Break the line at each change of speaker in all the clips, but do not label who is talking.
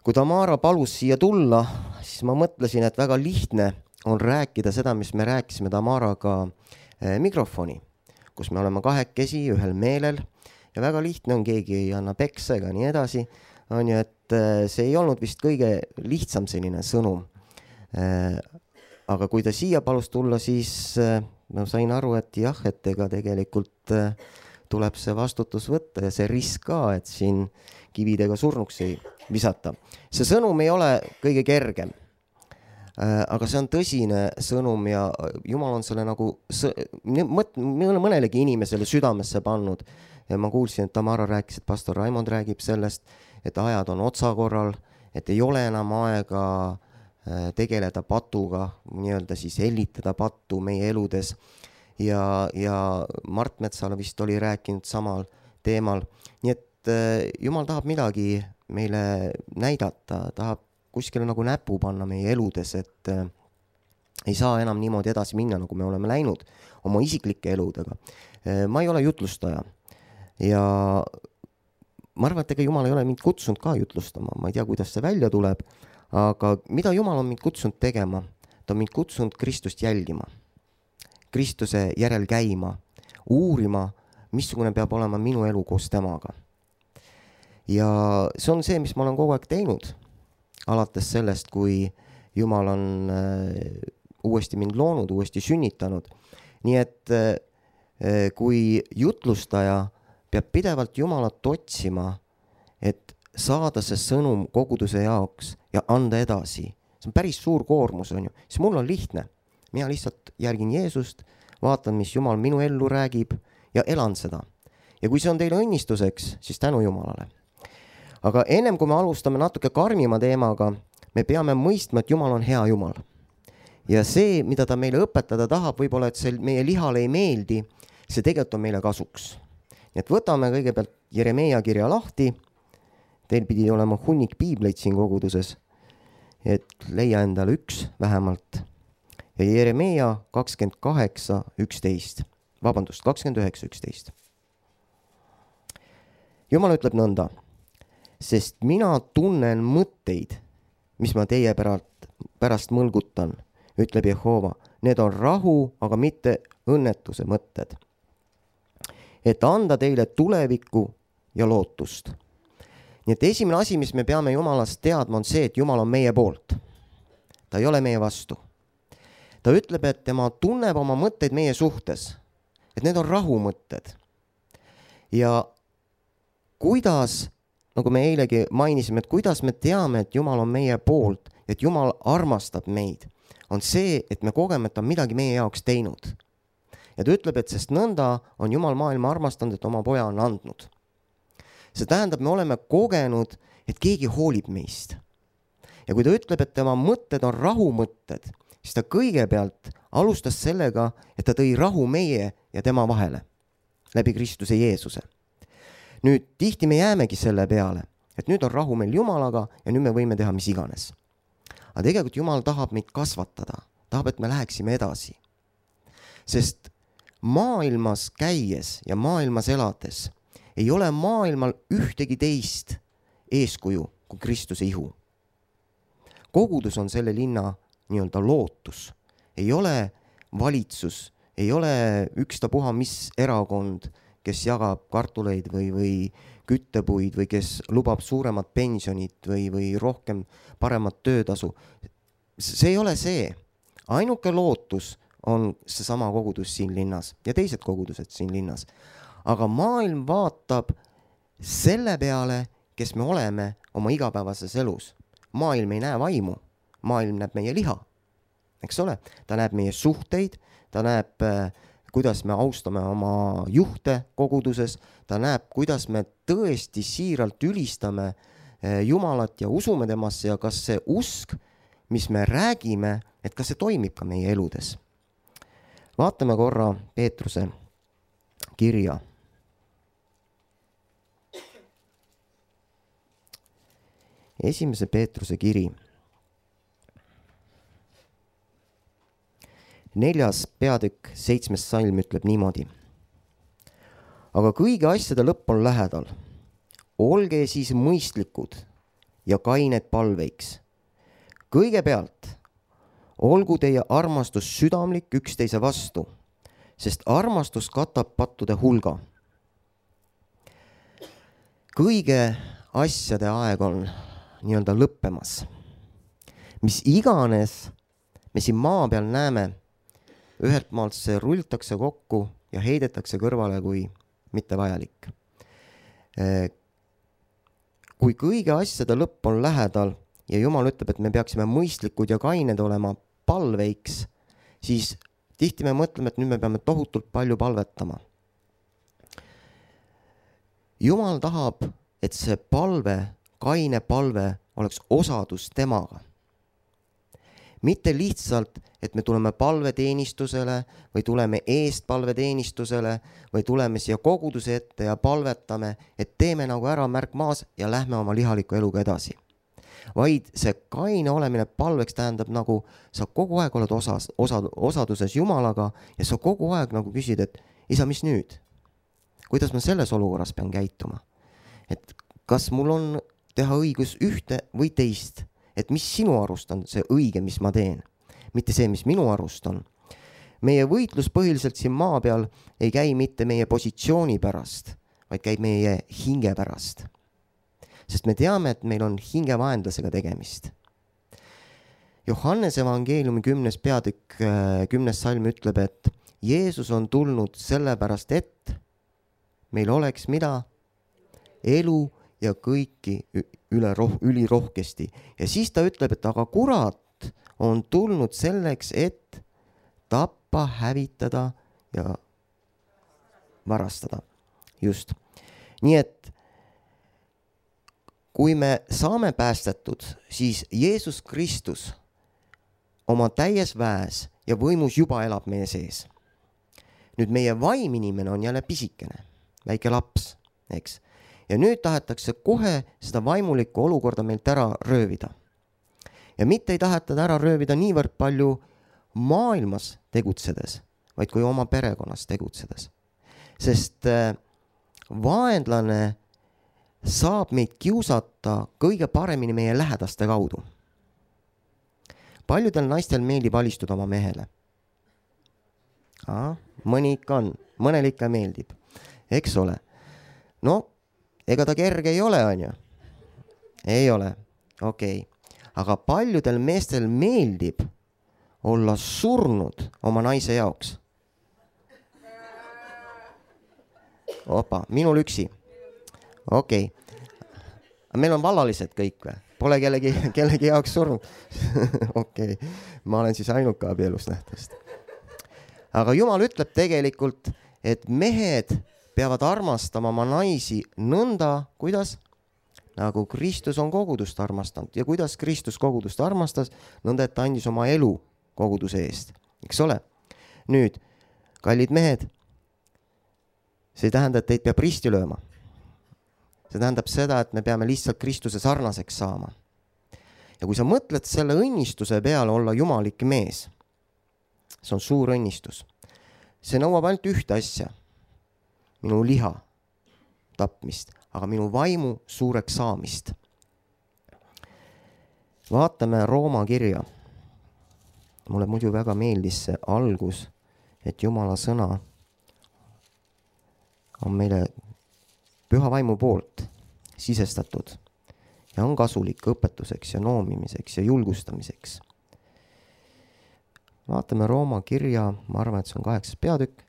Kui Tamara palus siia tulla, siis ma mõtlesin, et väga lihtne on rääkida seda, mis me rääkisime Tamaraga mikrofoni, kus me oleme kahekesi ühel meelel ja väga lihtne on, keegi ei anna peksa ega nii edasi. On ju, et see ei olnud vist kõige lihtsam selline sõnum. Aga kui ta siia palus tulla, siis ma sain aru, et jah, et ega tegelikult tuleb see vastutus võtta ja see risk ka, et siin kividega surnuks ei visata. See sõnum ei ole kõige kergem, aga see on tõsine sõnum ja Jumal on selle nagu mõnelegi inimesele südamesse pannud. Ja ma kuulsin, et Tamara rääkis, et pastor Raimond räägib sellest, et ajad on otsakorral, et ei ole enam aega tegeleda patuga, nii-öelda siis hellitada pattu meie eludes. Ja Mart Metsala vist oli rääkinud samal teemal. Nii et Jumal tahab midagi meile näidata, tahab kuskile nagu näpu panna meie eludes, et ei saa enam niimoodi edasi minna, nagu me oleme läinud oma isiklike eludega. Ma ei ole jutlustaja ja ma arvan, et ega Jumal ei ole mind kutsunud ka jutlustama, ma ei tea, kuidas see välja tuleb, aga mida Jumal on mind kutsunud tegema? Ta on mind kutsunud Kristust jälgima, Kristuse järel käima, uurima, missugune peab olema minu elu koos temaga. Ja see on see, mis ma olen kogu aeg teinud, alates sellest, kui Jumal on uuesti mind loonud, uuesti sünnitanud. Nii et kui jutlustaja peab pidevalt Jumalat otsima, et saada see sõnum koguduse jaoks ja anda edasi. See on päris suur koormus, on ju. Siis mul on lihtne. Mina lihtsalt järgin Jeesust, vaatan, mis Jumal minu ellu räägib ja elan seda. Ja kui see on teile õnnistuseks, siis tänu Jumalale. Aga ennem kui me alustame natuke karmima teemaga, me peame mõistma, et Jumal on hea Jumal. Ja see, mida ta meile õpetada tahab, võib-olla, et see meie lihale ei meeldi, see tegelikult on meile kasuks. Nii et võtame kõigepealt Jeremeia kirja lahti. Teil pidi olema hunnik piibleid siin koguduses, et leia endale üks vähemalt. Ja Jeremeia 29.11. Jumal ütleb nõnda. Sest mina tunnen mõtteid, mis ma teie pärast mõlgutan, ütleb Jehova. Need on rahu, aga mitte õnnetuse mõtted. Et anda teile tulevikku ja lootust. Nii et esimene asi, mis me peame Jumalast teadma, on see, et Jumal on meie poolt. Ta ei ole meie vastu. Ta ütleb, et tema tunneb oma mõtteid meie suhtes. Et need on rahumõtted. Ja kuidas, nagu me eilegi mainisime, et kuidas me teame, et Jumal on meie poolt, et Jumal armastab meid, on see, et me kogeme, et ta on midagi meie jaoks teinud. Ja ta ütleb, et sest nõnda on Jumal maailma armastanud, et oma poja on andnud. See tähendab, me oleme kogenud, et keegi hoolib meist. Ja kui ta ütleb, et tema mõtted on rahumõtted, siis ta kõigepealt alustas sellega, et ta tõi rahu meie ja tema vahele läbi Kristuse Jeesuse. Nüüd tihti me jäämegi selle peale, et nüüd on rahu meil Jumalaga ja nüüd me võime teha mis iganes. Aga tegelikult Jumal tahab meid kasvatada, tahab, et me läheksime edasi. Sest maailmas käies ja maailmas elades ei ole maailmal ühtegi teist eeskuju kui Kristuse ihu. Kogudus on selle linna nii-öelda lootus. Ei ole valitsus, ei ole ükstapuha mis erakond, kes jagab kartuleid või küttepuid või kes lubab suuremat pensionit või rohkem paremat töötasu. See ei ole see. Ainuke lootus on seesama kogudus siin linnas ja teised kogudused siin linnas. Aga maailm vaatab selle peale, kes me oleme oma igapäevases elus. Maailm ei näe vaimu, maailm näeb meie liha. Eks ole? Ta näeb meie suhteid, ta näeb, kuidas me austame oma juhte koguduses, ta näeb, kuidas me tõesti siiralt ülistame Jumalat ja usume temasse ja kas see usk, mis me räägime, et kas see toimib ka meie eludes. Vaatame korra Peetruse kirja. Esimese Peetruse kiri. 4. peatükk 7. salm ütleb niimoodi. Aga kõigi asjade lõpp on lähedal. Olge siis mõistlikud, ja kained palveiks. Kõigepealt olgu teie armastus südamlik üksteise vastu, sest armastus katab pattude hulga. Kõige asjade aeg on nii-öelda lõppemas. Mis iganes me siin maa peal näeme, ühelt maalt see rultakse kokku ja heidetakse kõrvale kui mitte vajalik. Kui kõige asjade lõpp on lähedal ja Jumal ütleb, et me peaksime mõistlikud ja kained olema palveiks, siis tihti me mõtleme, et nüüd me peame tohutult palju palvetama. Jumal tahab, et see palve, kaine palve oleks osadus temaga. Mitte lihtsalt, et me tuleme palveteenistusele või tuleme eest palveteenistusele või tuleme siia koguduse ette ja palvetame, et teeme nagu ära märk maas ja lähme oma lihaliku eluga edasi. Vaid see kaine olemine palveks tähendab nagu sa kogu aeg oled osaduses Jumalaga ja sa kogu aeg nagu küsid, et isa, mis nüüd? Kuidas ma selles olukorras pean käituma? Et kas mul on teha õigus ühte või teist? Et mis sinu arust on see õige, mis ma teen? Mitte see, mis minu arust on. Meie võitlus põhiliselt siin maa peal ei käi mitte meie positsiooni pärast, vaid käib meie hinge pärast. Sest me teame, et meil on hingevaenlasega tegemist. Johannese evangeeliumi 10. peatükk 10. salm ütleb, et Jeesus on tulnud sellepärast, et meil oleks mida? Elu ja kõiki ülirohkesti. Ja siis ta ütleb, et aga kurat on tulnud selleks, et tappa, hävitada ja varastada. Just. Nii et kui me saame päästetud, siis Jeesus Kristus oma täies väes ja võimus juba elab meie sees. Nüüd meie vaimimine on jälle pisikene, väike laps, eks? Ja nüüd tahetakse kohe seda vaimulikku olukorda meilt ära röövida. Ja mitte ei taheta ära röövida niivõrd palju maailmas tegutsedes, vaid kui oma perekonnas tegutsedes. Sest vaenlane saab meid kiusata kõige paremini meie lähedaste kaudu. Paljudel naistel meeldib alistuda oma mehele. Mõni ikka on, mõnel ikka meeldib. Eks ole? No, ega ta kerge ei ole, on ju? Ei ole. Okei. Aga paljudel meestel meeldib olla surnud oma naise jaoks. Opa, minul üksi. Okei. Meil on vallalised kõik või? Pole kellegi jaoks surnud. Okei. Ma olen siis ainuke abielus nähtavasti. Aga Jumal ütleb tegelikult, et mehed peavad armastama oma naisi nõnda, kuidas? Nagu Kristus on kogudust armastanud. Ja kuidas Kristus kogudust armastas? Nõnda, et ta andis oma elu koguduse eest. Eks ole? Nüüd, kallid mehed, see ei tähenda, et teid peab risti lööma. See tähendab seda, et me peame lihtsalt Kristuse sarnaseks saama. Ja kui sa mõtled selle õnnistuse peale olla jumalik mees, see on suur õnnistus. See nõuab ainult ühte asja. Minu liha tapmist, aga minu vaimu suureks saamist. Vaatame Rooma kirja. Mulle muidu väga meeldis see algus, et Jumala sõna on meile püha vaimu poolt sisestatud ja on kasulik õpetuseks ja noomimiseks ja julgustamiseks. Vaatame Rooma kirja, ma arvan, et see on 8. peatükk.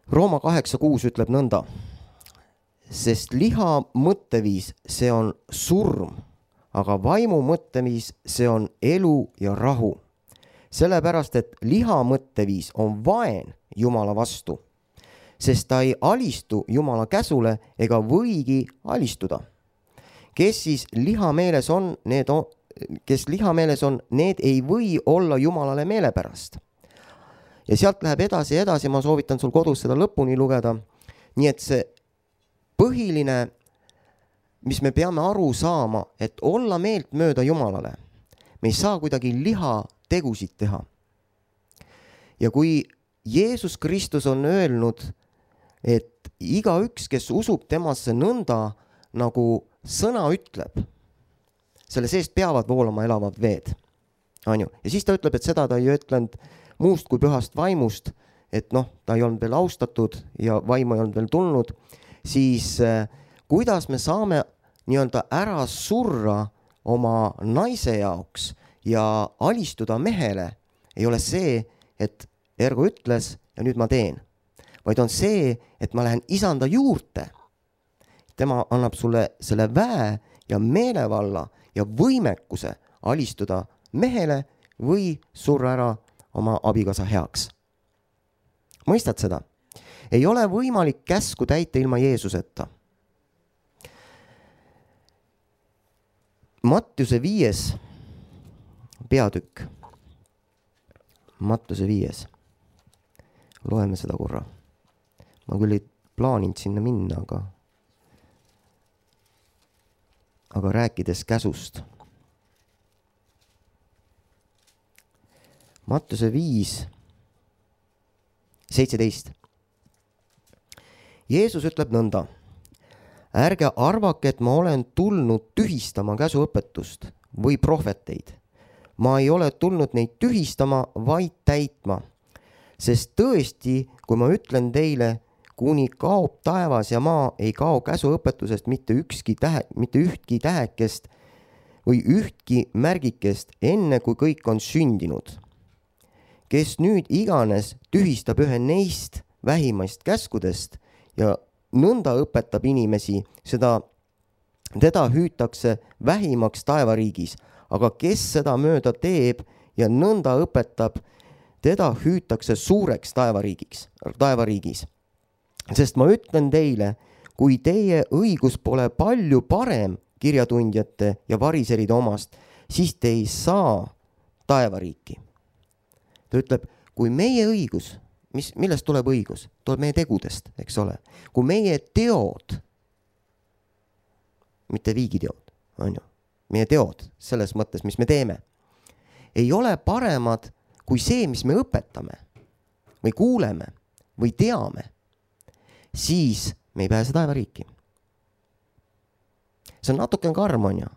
Rooma 8.6 ütleb nõnda, sest liha mõtteviis, see on surm, aga vaimu mõtteviis, see on elu ja rahu. Sellepärast, et liha mõtteviis on vaen Jumala vastu, sest ta ei alistu Jumala käsule ega võigi alistuda. Kes siis lihameeles on, need ei või olla Jumalale meelepärast. Ja sealt läheb edasi, ma soovitan sul kodus seda lõpuni lugeda. Nii et see põhiline, mis me peame aru saama, et olla meelt mööda Jumalale, me ei saa kuidagi liha tegusid teha. Ja kui Jeesus Kristus on öelnud, et igaüks, kes usub temasse nõnda, nagu sõna ütleb, selle seest peavad voolama elavad veed. On ju? Ja siis ta ütleb, et seda ta ei ütlenud muust kui pühast vaimust, et ta ei olnud veel austatud ja vaimu ei olnud veel tulnud, siis kuidas me saame nii-öelda ära surra oma naise jaoks ja alistuda mehele, ei ole see, et ergo ütles ja nüüd ma teen, vaid on see, et ma lähen isanda juurde. Tema annab sulle selle väe ja meelevalla ja võimekuse alistuda mehele või surra ära oma abikaasa heaks. Mõistad seda? Ei ole võimalik käsku täita ilma Jeesuseta. Mattiuse 5. peatükk. Mattiuse 5. Loeme seda korra. Ma küll ei plaaninud sinna minna, aga rääkides käsust. Mattiuse 5, 17. Jeesus ütleb nõnda. Ärge arvake, et ma olen tulnud tühistama käsuõpetust või prohveteid. Ma ei ole tulnud neid tühistama, vaid täitma. Sest tõesti, kui ma ütlen teile, kuni kaob taevas ja maa, ei kao käsuõpetusest mitte ühtki tähekest või ühtki märgikest, enne kui kõik on sündinud. Kes nüüd iganes tühistab ühe neist vähimaist käskudest ja nõnda õpetab inimesi, teda hüütakse vähimaks taevariigis, aga kes seda mööda teeb ja nõnda õpetab, teda hüütakse suureks taevariigis. Sest ma ütlen teile, kui teie õigus pole palju parem kirjatundjate ja variseride omast, siis te ei saa taevariiki. Ta ütleb, kui meie õigus, millest tuleb õigus? Tuleb meie tegudest, eks ole. Kui meie teod, mitte viigiteod, on ju, meie teod selles mõttes, mis me teeme, ei ole paremad kui see, mis me õpetame või kuuleme või teame, siis me ei pääse taevariiki. See on natuke karm, on ju.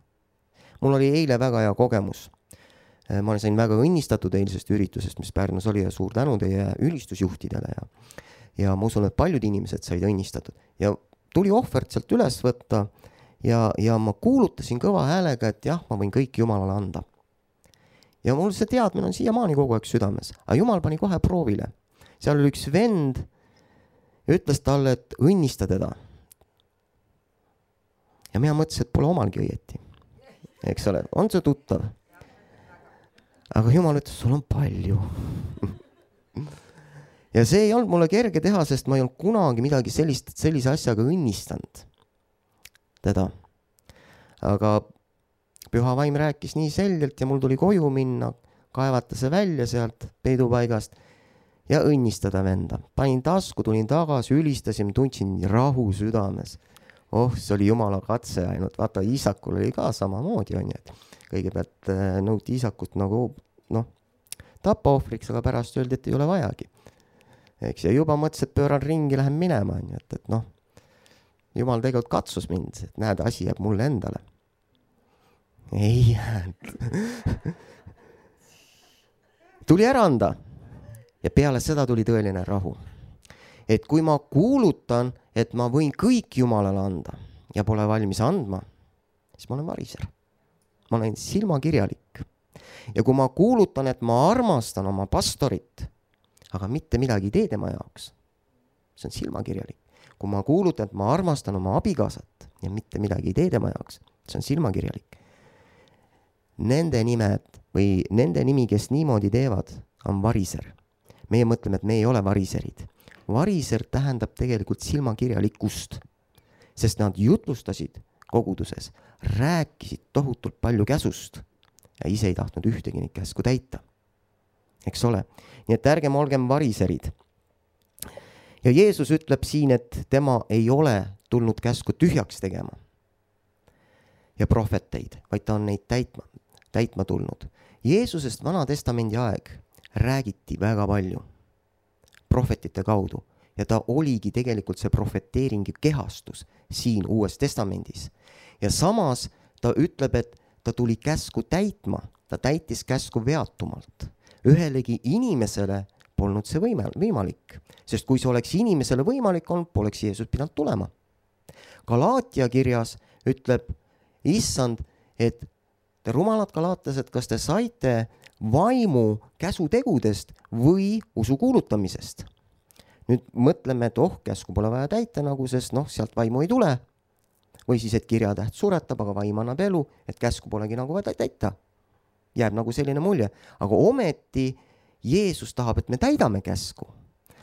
Mul oli eile väga hea kogemus. Ma sain väga õnnistatud eilsest üritusest, mis Pärnus oli ja suur tänu teie ülistusjuhtidele ja ma usun, et paljud inimesed said õnnistatud ja tuli ohvert sealt üles võtta ja ma kuulutasin kõva häälega, et jah, ma võin kõik Jumalale anda. Ja mul see teadmine on siiamaani kogu aeg südames, aga Jumal pani kohe proovile. Seal oli üks vend ja ütles talle, et õnnista teda. Ja mina mõtlesin, et pole omalgi õieti. Eks ole, on see tuttav? Aga Jumal ütles, sul on palju. Ja see ei olnud mulle kerge teha, sest ma ei olnud kunagi midagi sellise asjaga õnnistanud teda. Aga Püha Vaim rääkis nii selgelt ja mul tuli koju minna, kaevata see välja sealt peidupaigast ja õnnistada venda. Panin tasku, tulin tagasi, ülistasin, tundsin rahu südames. See oli Jumala katse ainult. Vaata, Iisakul oli ka samamoodi, on ju, et kõigepealt nõuti Iisakut nagu, tappa ohvriks, aga pärast öeldi, et ei ole vajagi. Eks, ja juba mõtles, et pööran ringi, lähen minema, on ju, et Jumal tegelikult katsus mind, et näed, asi jääb mulle endale. Ei jäänud. Tuli ära anda ja peale seda tuli tõeline rahu. Et kui ma kuulutan, et ma võin kõik Jumalale anda ja pole valmis andma, siis ma olen variser. Ma olen silmakirjalik. Ja kui ma kuulutan, et ma armastan oma pastorit, aga mitte midagi ei tee tema jaoks, see on silmakirjalik. Kui ma kuulutan, et ma armastan oma abikaasat ja mitte midagi ei tee tema jaoks, see on silmakirjalik. Nende nimed või nende nimi, kes niimoodi teevad, on variser. Meie mõtleme, et me ei ole variserid. Variser tähendab tegelikult silmakirjalikkust, sest nad jutlustasid koguduses, rääkisid tohutult palju käsust ja ise ei tahtnud ühtegi neid käsku täita. Eks ole? Nii et ärgem olgem variserid. Ja Jeesus ütleb siin, et tema ei ole tulnud käsku tühjaks tegema ja prohveteid, vaid ta on neid täitma tulnud. Jeesusest Vana Testamendi aeg räägiti väga palju prohvetite kaudu ja ta oligi tegelikult see prohveteeringi kehastus siin Uues Testamendis. Ja samas ta ütleb, et ta tuli käsku täitma, ta täitis käsku veatumalt. Ühelegi inimesele polnud see võimalik, sest kui see oleks inimesele võimalik olnud, poleks Jeesus pidanud tulema. Galaatia kirjas ütleb Issand, et te rumalad galaatlased, kas te saite vaimu käsutegudest või usu kuulutamisest? Nüüd mõtleme, et käsku pole vaja täita nagu, sest sealt vaimu ei tule. Või siis, et kirjatäht suretab, aga vaim annab elu, et käsku polegi nagu vaja täita. Jääb nagu selline mulje. Aga ometi Jeesus tahab, et me täidame käsku.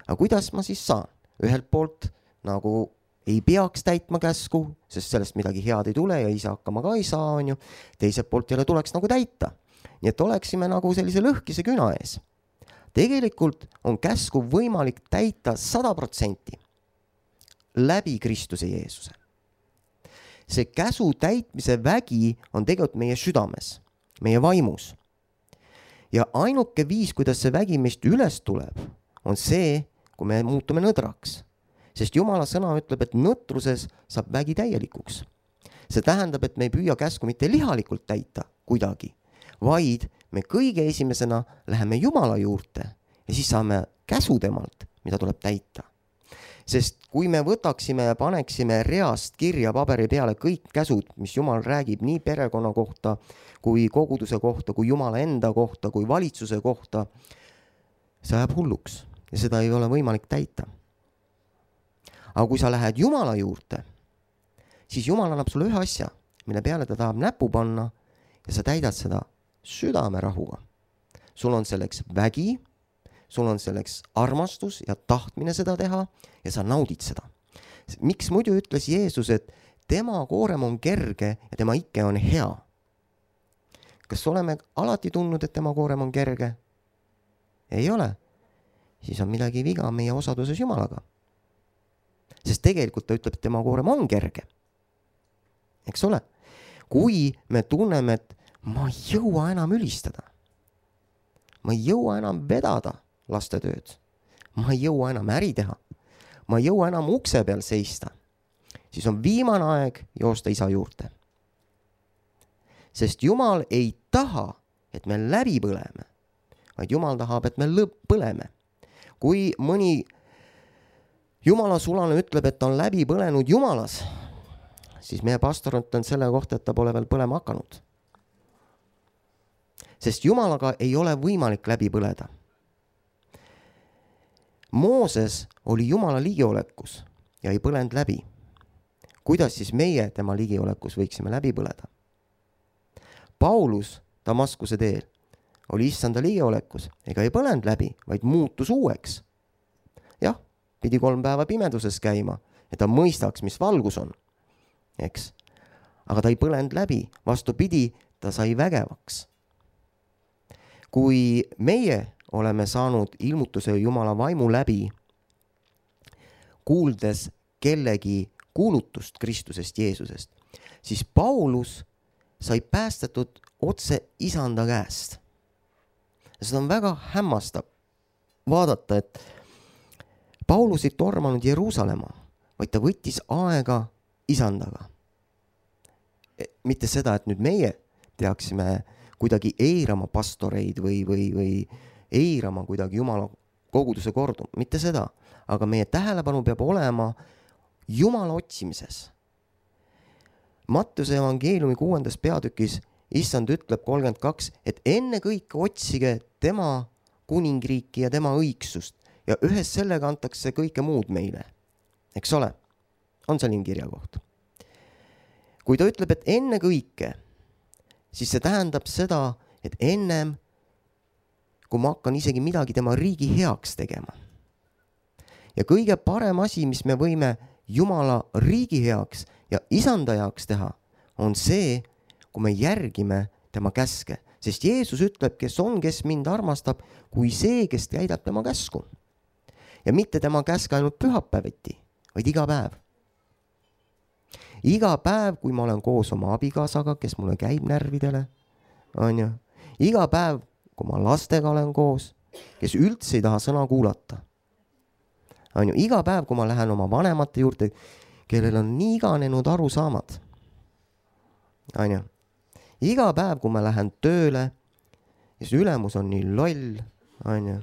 Aga kuidas ma siis saan? Ühelt poolt nagu ei peaks täitma käsku, sest sellest midagi head ei tule ja ise hakkama ka ei saa, on ju. Teiselt poolt jälle tuleks nagu täita. Nii et oleksime nagu sellise lõhkise küna ees. Tegelikult on käsku võimalik täita 100% läbi Kristuse Jeesuse. See käsu täitmise vägi on tegelikult meie südames, meie vaimus. Ja ainuke viis, kuidas see vägi meist üles tuleb, on see, kui me muutume nõdraks. Sest Jumala sõna ütleb, et nõtruses saab vägi täielikuks. See tähendab, et me ei püüa käsku mitte lihalikult täita kuidagi, vaid me kõige esimesena läheme Jumala juurde ja siis saame käsu temalt, mida tuleb täita. Sest kui me võtaksime ja paneksime reast kirja paberi peale kõik käsud, mis Jumal räägib nii perekonna kohta, kui koguduse kohta, kui Jumala enda kohta, kui valitsuse kohta, see ajab hulluks ja seda ei ole võimalik täita. Aga kui sa lähed Jumala juurde, siis Jumal annab sulle ühe asja, mille peale ta tahab näpu panna ja sa täidad seda südame rahuga. Sul on selleks vägi, sul on selleks armastus ja tahtmine seda teha ja sa naudid seda. Miks muidu ütles Jeesus, et tema koorem on kerge ja tema ikke on hea? Kas oleme alati tundnud, et tema koorem on kerge? Ei ole. Siis on midagi viga meie osaduses Jumalaga. Sest tegelikult ta ütleb, et tema koorem on kerge. Eks ole? Kui me tunneme, et ma ei jõua enam ülistada, ma ei jõua enam vedada lastetööd, ma ei jõua enam äri teha, ma ei jõua enam ukse peal seista, siis on viimane aeg joosta isa juurde. Sest Jumal ei taha, et me läbi põleme, vaid Jumal tahab, et me põleme. Kui mõni Jumala sulane ütleb, et ta on läbi põlenud Jumalas, siis meie pastor on selle kohta, et ta pole veel põlema hakanud. Sest Jumalaga ei ole võimalik läbi põleda. Mooses oli Jumala ligiolekus ja ei põlenud läbi. Kuidas siis meie tema ligiolekus võiksime läbi põleda? Paulus Damaskuse teel oli issanda ligiolekus ega ei põlenud läbi, vaid muutus uueks. Jah, pidi 3 päeva pimeduses käima, et ta mõistaks, mis valgus on. Eks? Aga ta ei põlenud läbi, vastupidi, ta sai vägevaks. Kui meie oleme saanud ilmutuse Jumala vaimu läbi, kuuldes kellegi kuulutust Kristusest Jeesusest, siis Paulus sai päästetud otse isanda käest. Seda on väga hämmastav vaadata, et Paulus ei tormanud Jeruusalemma, vaid ta võttis aega isandaga. Mitte seda, et nüüd meie peaksime kuidagi eirama pastoreid või eirama kuidagi Jumala koguduse kordu. Mitte seda, aga meie tähelepanu peab olema Jumala otsimises. Mattuse evangeeliumi 6. peatükis issand ütleb 32, et enne kõike otsige tema kuningriiki ja tema õigsust ja ühes sellega antakse kõike muud meile. Eks ole? On selline kirjakoht. Kui ta ütleb, et enne kõike, siis see tähendab seda, et ennem, kui ma hakkan isegi midagi tema riigi heaks tegema. Ja kõige parem asi, mis me võime Jumala riigi heaks ja isanda heaks teha, on see, kui me järgime tema käske. Sest Jeesus ütleb, kes mind armastab, kui see, kes täidab tema käsku. Ja mitte tema käske ainult pühapäeviti, vaid iga päev. Iga päev, kui ma olen koos oma abikaasaga, kes mulle käib närvidele, on ju. Iga päev, kui ma lastega olen koos, kes üldse ei taha sõna kuulata. On ju, iga päev, kui ma lähen oma vanemate juurde, kellel on nii iganenud arusaamad. On ju, iga päev, kui ma lähen tööle, ja see ülemus on nii loll, on ju.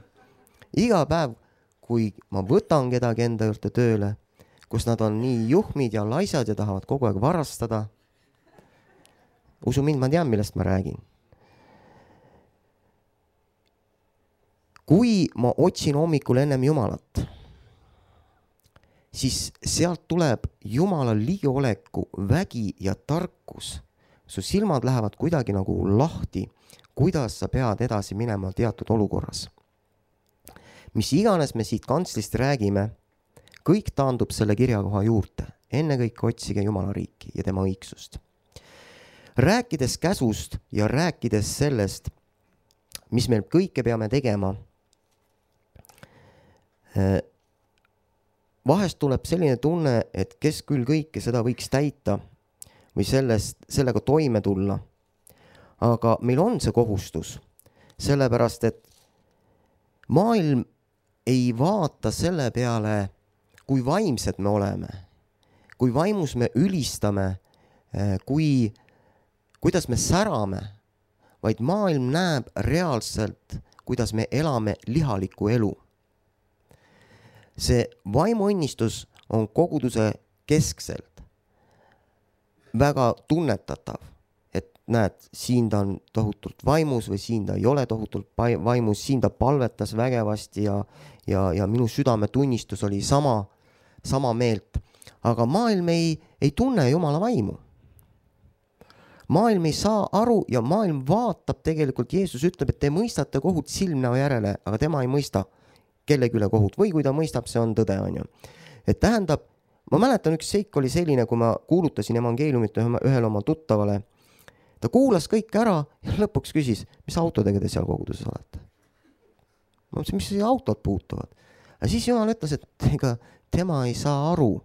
Iga päev, kui ma võtan kedagi enda juurde tööle, kus nad on nii juhmid ja laisad ja tahavad kogu aeg varastada. Usu mind, ma tean, millest ma räägin. Kui ma otsin hommikul ennem Jumalat, siis sealt tuleb Jumala ligioleku vägi ja tarkus. Su silmad lähevad kuidagi nagu lahti, kuidas sa pead edasi minema teatud olukorras. Mis iganes me siit kantslist räägime, kõik taandub selle kirjakoha juurde. Ennekõike otsige Jumala riiki ja tema õigsust. Rääkides käsust ja rääkides sellest, mis meil kõike peame tegema, vahest tuleb selline tunne, et kes küll kõike seda võiks täita või sellega toime tulla. Aga meil on see kohustus, sellepärast et maailm ei vaata selle peale, kui vaimsed me oleme, kui vaimus me ülistame, kuidas me särame, vaid maailm näeb reaalselt, kuidas me elame lihalikku elu. See vaimuõnnistus on koguduse keskselt väga tunnetatav, et näed, siin ta on tohutult vaimus või siin ta ei ole tohutult vaimus, siin ta palvetas vägevasti ja minu südametunnistus oli sama meelt. Aga maailm ei tunne Jumala vaimu. Maailm ei saa aru ja maailm vaatab tegelikult, Jeesus ütleb, et te mõistate kohut silmnäo järele, aga tema ei mõista kellegi üle kohut või kui ta mõistab, see on tõde, on ju. Et tähendab, ma mäletan, üks seik oli selline, kui ma kuulutasin evangeeliumit ühele oma tuttavale. Ta kuulas kõik ära ja lõpuks küsis, mis autodega te seal koguduses olete? Ma mõtlesin, mis see autod puutuvad? Ja siis Jumal ütles, et ega tema ei saa aru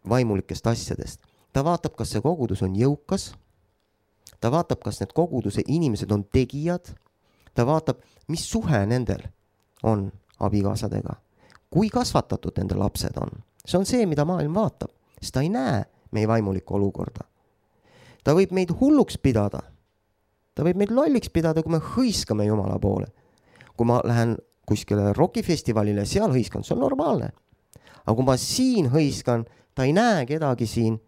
vaimulikest asjadest. Ta vaatab, kas see kogudus on jõukas. Ta vaatab, kas need koguduse inimesed on tegijad. Ta vaatab, mis suhe nendel on abikaasadega. Kui kasvatatud nende lapsed on. See on see, mida maailm vaatab. Sest ta ei näe meie vaimulikku olukorda. Ta võib meid hulluks pidada. Ta võib meid lolliks pidada, kui me hõiskame Jumala poole. Kui ma lähen kuskile rokifestivalile, seal hõiskan, see on normaalne. Aga kui ma siin hõiskan, ta ei näe kedagi siin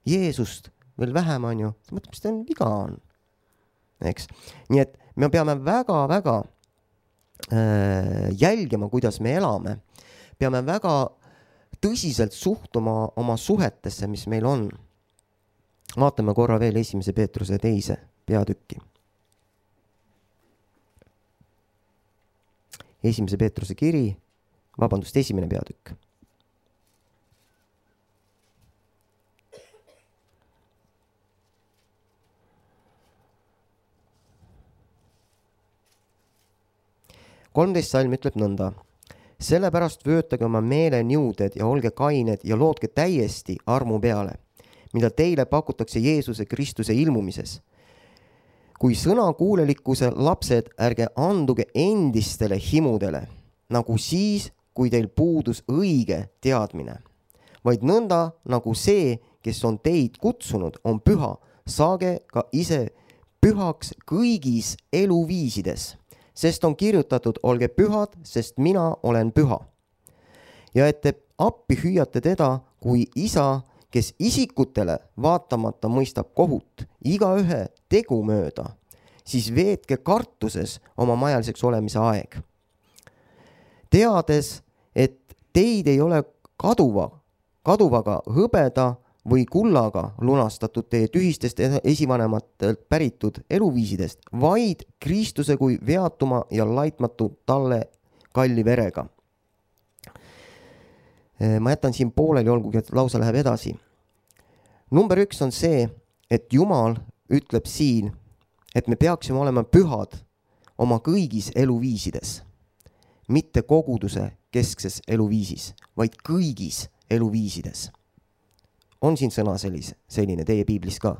Jeesust veel vähem, on ju. Ta mõtleb, mis ta on viga on. Eks? Nii et me peame väga-väga jälgima, kuidas me elame. Peame väga tõsiselt suhtuma oma suhetesse, mis meil on. Vaatame korra veel 1. Peetruse 2. peatükki. 1. Peetruse kiri, 1. peatükk. Salm ütleb nõnda. Sellepärast vöötage oma meeleniuded ja olge kained ja lootke täiesti armu peale, mida teile pakutakse Jeesuse Kristuse ilmumises. Kui sõnakuulelikkuse lapsed, ärge anduge endistele himudele, nagu siis, kui teil puudus õige teadmine, vaid nõnda, nagu see, kes on teid kutsunud, on püha, saage ka ise pühaks kõigis eluviisides. Sest on kirjutatud, olge pühad, sest mina olen püha. Ja et te appi hüüate teda kui isa, kes isikutele vaatamata mõistab kohut iga ühe tegu mööda, siis veetke kartuses oma majaliseks olemise aeg. Teades, et teid ei ole kaduvaga hõbeda või kullaga lunastatud teie tühistest esivanematelt päritud eluviisidest, vaid Kristuse kui veatuma ja laitmatu talle kalli verega. Ma jätan siin pooleli, olgugi, et lausa läheb edasi. Number 1 on see, et Jumal ütleb siin, et me peaksime olema pühad oma kõigis eluviisides, mitte koguduse keskses eluviisis, vaid kõigis eluviisides. On siin sõna selline teie piiblis ka?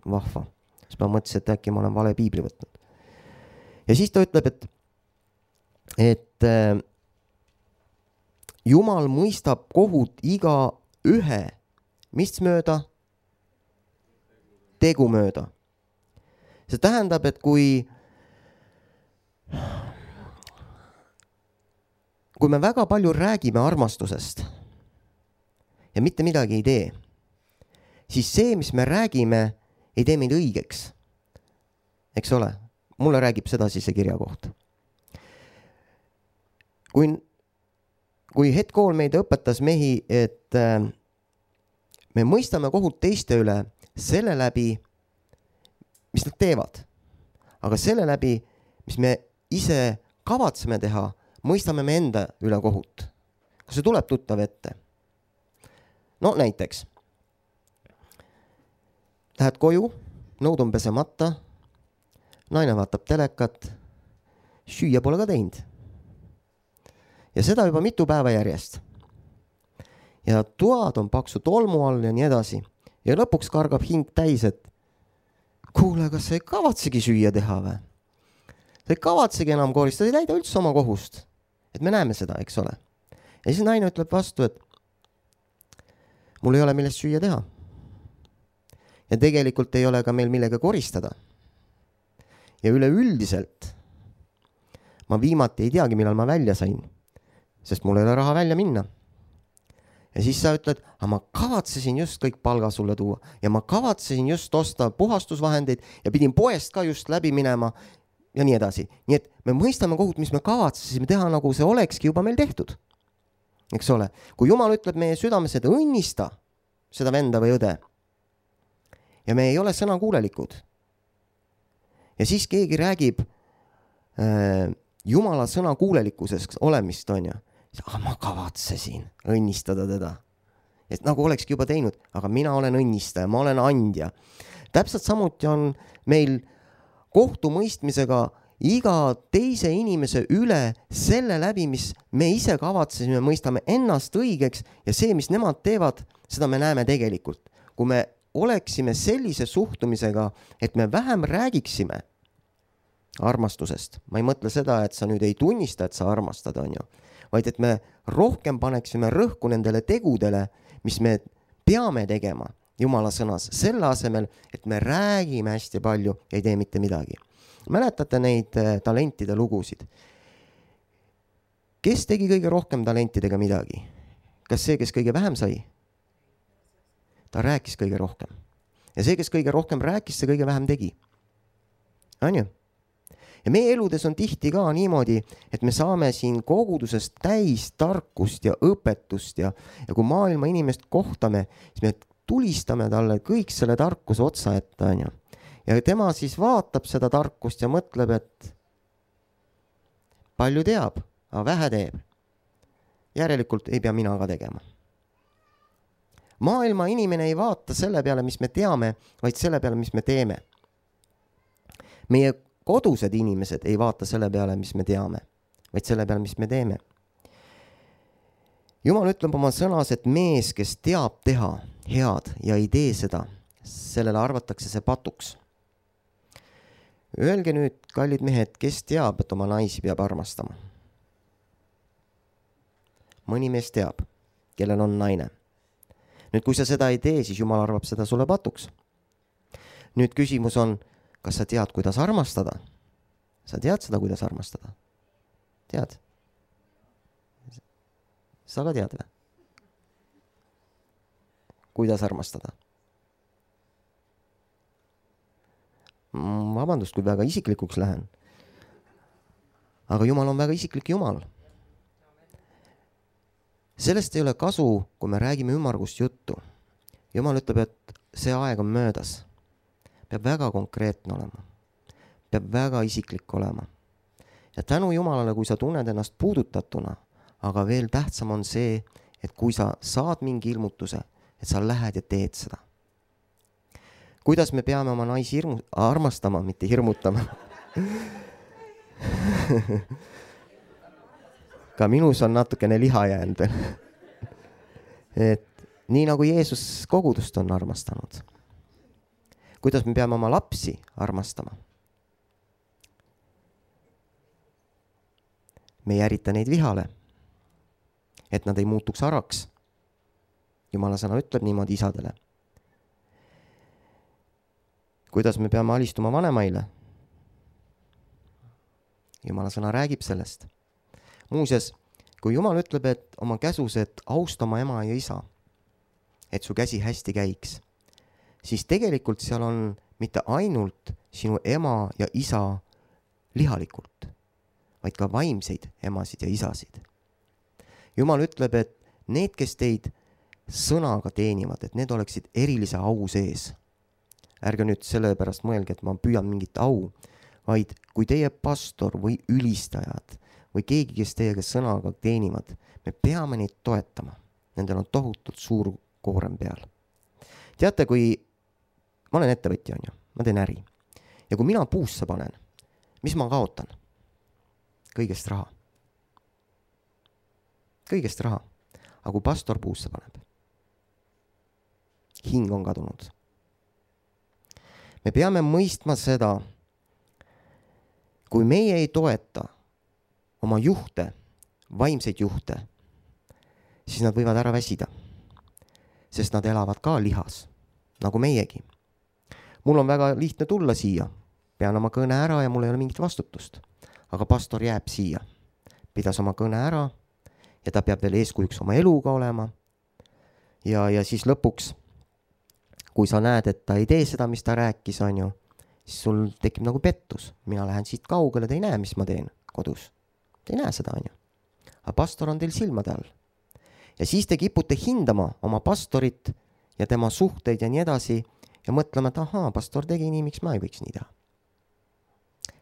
Vahva. Siis ma mõtlesin, et äkki ma olen vale piibli võtnud. Ja siis ta ütleb, et Jumal mõistab kohut iga ühe, mis mööda? Tegu mööda. See tähendab, et kui me väga palju räägime armastusest ja mitte midagi ei tee, siis see, mis me räägime, ei tee meid õigeks. Eks ole? Mulle räägib seda siis see kirja koht. Kui Hed Kool meid õpetas mehi, et me mõistame kohut teiste üle selle läbi, mis nad teevad. Aga selle läbi, mis me ise kavatseme teha, mõistame me enda üle kohut. Kas see tuleb tuttav ette? No näiteks. Lähed koju, nõud on pesemata, naine vaatab telekat, süüa pole ka teinud. Ja seda juba mitu päeva järjest. Ja toad on paksu tolmu all ja nii edasi. Ja lõpuks kargab hing täis, et kuule, kas sa ei kavatsegi süüa teha või? Sa ei kavatsegi enam koristada, ei täida üldse oma kohust. Et me näeme seda, eks ole. Ja siis naine ütleb vastu, et mul ei ole millest süüa teha. Ja tegelikult ei ole ka meil millega koristada. Ja üleüldiselt ma viimati ei teagi, millal ma välja sain, sest mul ei ole raha välja minna. Ja siis sa ütled, aga ma kavatsesin just kõik palga sulle tuua ja ma kavatsesin just osta puhastusvahendeid ja pidin poest ka just läbi minema ja nii edasi. Nii et me mõistame kohut, mis me kavatsesime teha, nagu see olekski juba meil tehtud. Eks ole? Kui Jumal ütleb meie südames, et õnnista seda venda või õde ja me ei ole sõnakuulelikud ja siis keegi räägib Jumala sõnakuulelikkusest olemist, on ju. Aga ma kavatsesin õnnistada teda. Et nagu olekski juba teinud, aga mina olen õnnistaja, ma olen andja. Täpselt samuti on meil kohtumõistmisega iga teise inimese üle selle läbi, mis me ise kavatsesime, mõistame ennast õigeks ja see, mis nemad teevad, seda me näeme tegelikult. Kui me oleksime sellise suhtumisega, et me vähem räägiksime armastusest, ma ei mõtle seda, et sa nüüd ei tunnista, et sa armastad, on ju, vaid et me rohkem paneksime rõhku nendele tegudele, mis me peame tegema Jumala sõnas, selle asemel, et me räägime hästi palju ja ei tee mitte midagi. Mäletate neid talentide lugusid? Kes tegi kõige rohkem talentidega midagi? Kas see, kes kõige vähem sai? Ta rääkis kõige rohkem. Ja see, kes kõige rohkem rääkis, see kõige vähem tegi. On ju? Ja meie eludes on tihti ka niimoodi, et me saame siin kogudusest täis tarkust ja õpetust ja kui maailma inimest kohtame, siis me tulistame talle kõik selle tarkuse otsa ette, on ju. Ja tema siis vaatab seda tarkust ja mõtleb, et palju teab, aga vähe teeb. Järelikult ei pea mina ka tegema. Maailma inimene ei vaata selle peale, mis me teame, vaid selle peale, mis me teeme. Meie kodused inimesed ei vaata selle peale, mis me teame, vaid selle peale, mis me teeme. Jumal ütleb oma sõnas, et mees, kes teab teha head ja ei tee seda, sellele arvatakse see patuks. Öelge nüüd, kallid mehed, kes teab, et oma naisi peab armastama? Mõni mees teab, kellel on naine. Nüüd, kui sa seda ei tee, siis Jumal arvab seda sulle patuks. Nüüd küsimus on, kas sa tead, kuidas armastada? Sa tead seda, kuidas armastada? Tead? Sa ka tead või? Kuidas armastada? Vabandust, kui väga isiklikuks lähen. Aga Jumal on väga isiklik Jumal. Sellest ei ole kasu, kui me räägime ümmargust juttu. Jumal ütleb, et see aeg on möödas. Peab väga konkreetne olema. Peab väga isiklik olema. Ja tänu Jumalale, kui sa tunned ennast puudutatuna, aga veel tähtsam on see, et kui sa saad mingi ilmutuse, et sa lähed ja teed seda. Kuidas me peame oma naisi armastama, mitte hirmutama? Ka minus on natukene liha jäänud. Et nii nagu Jeesus kogudust on armastanud. Kuidas me peame oma lapsi armastama? Me ei ärita neid vihale. et nad ei muutuks araks. Jumala sõna ütleb niimoodi isadele. Kuidas me peame alistuma vanemaile? Jumala sõna räägib sellest. Muuseas, kui Jumal ütleb, et oma käsus, et austa oma ema ja isa, et su käsi hästi käiks, siis tegelikult seal on mitte ainult sinu ema ja isa lihalikult, vaid ka vaimseid emasid ja isasid. Jumal ütleb, et need, kes teid sõnaga teenivad, et need oleksid erilise au sees. Ärge nüüd selle pärast mõelge, et ma püüan mingit au, vaid kui teie pastor või ülistajad või keegi, kes teiega sõnaga teenivad, me peame neid toetama. Nendel on tohutult suur koorem peal. Teate, kui ma olen ettevõtja, ma teen äri ja kui mina puusse panen, mis ma kaotan? Kõigest raha. Kõigest raha. Aga kui pastor puusse paneb, hing on kadunud. Me peame mõistma seda, kui meie ei toeta oma juhte, vaimseid juhte, siis nad võivad ära väsida, sest nad elavad ka lihas, nagu meiegi. Mul on väga lihtne tulla siia, pean oma kõne ära ja mul ei ole mingit vastutust, aga pastor jääb siia, pidas oma kõne ära ja ta peab veel eeskujuks oma eluga olema ja siis lõpuks, kui sa näed, et ta ei tee seda, mis ta rääkis, siis sul tekib nagu pettus. Mina lähen siit kaugele, te ei näe, mis ma teen kodus. Te ei näe seda, Aga pastor on teil silmade all. Ja siis te kipute hindama oma pastorit ja tema suhteid ja nii edasi ja mõtlema, et ahaa, pastor tegi nii, miks ma ei võiks nii teha.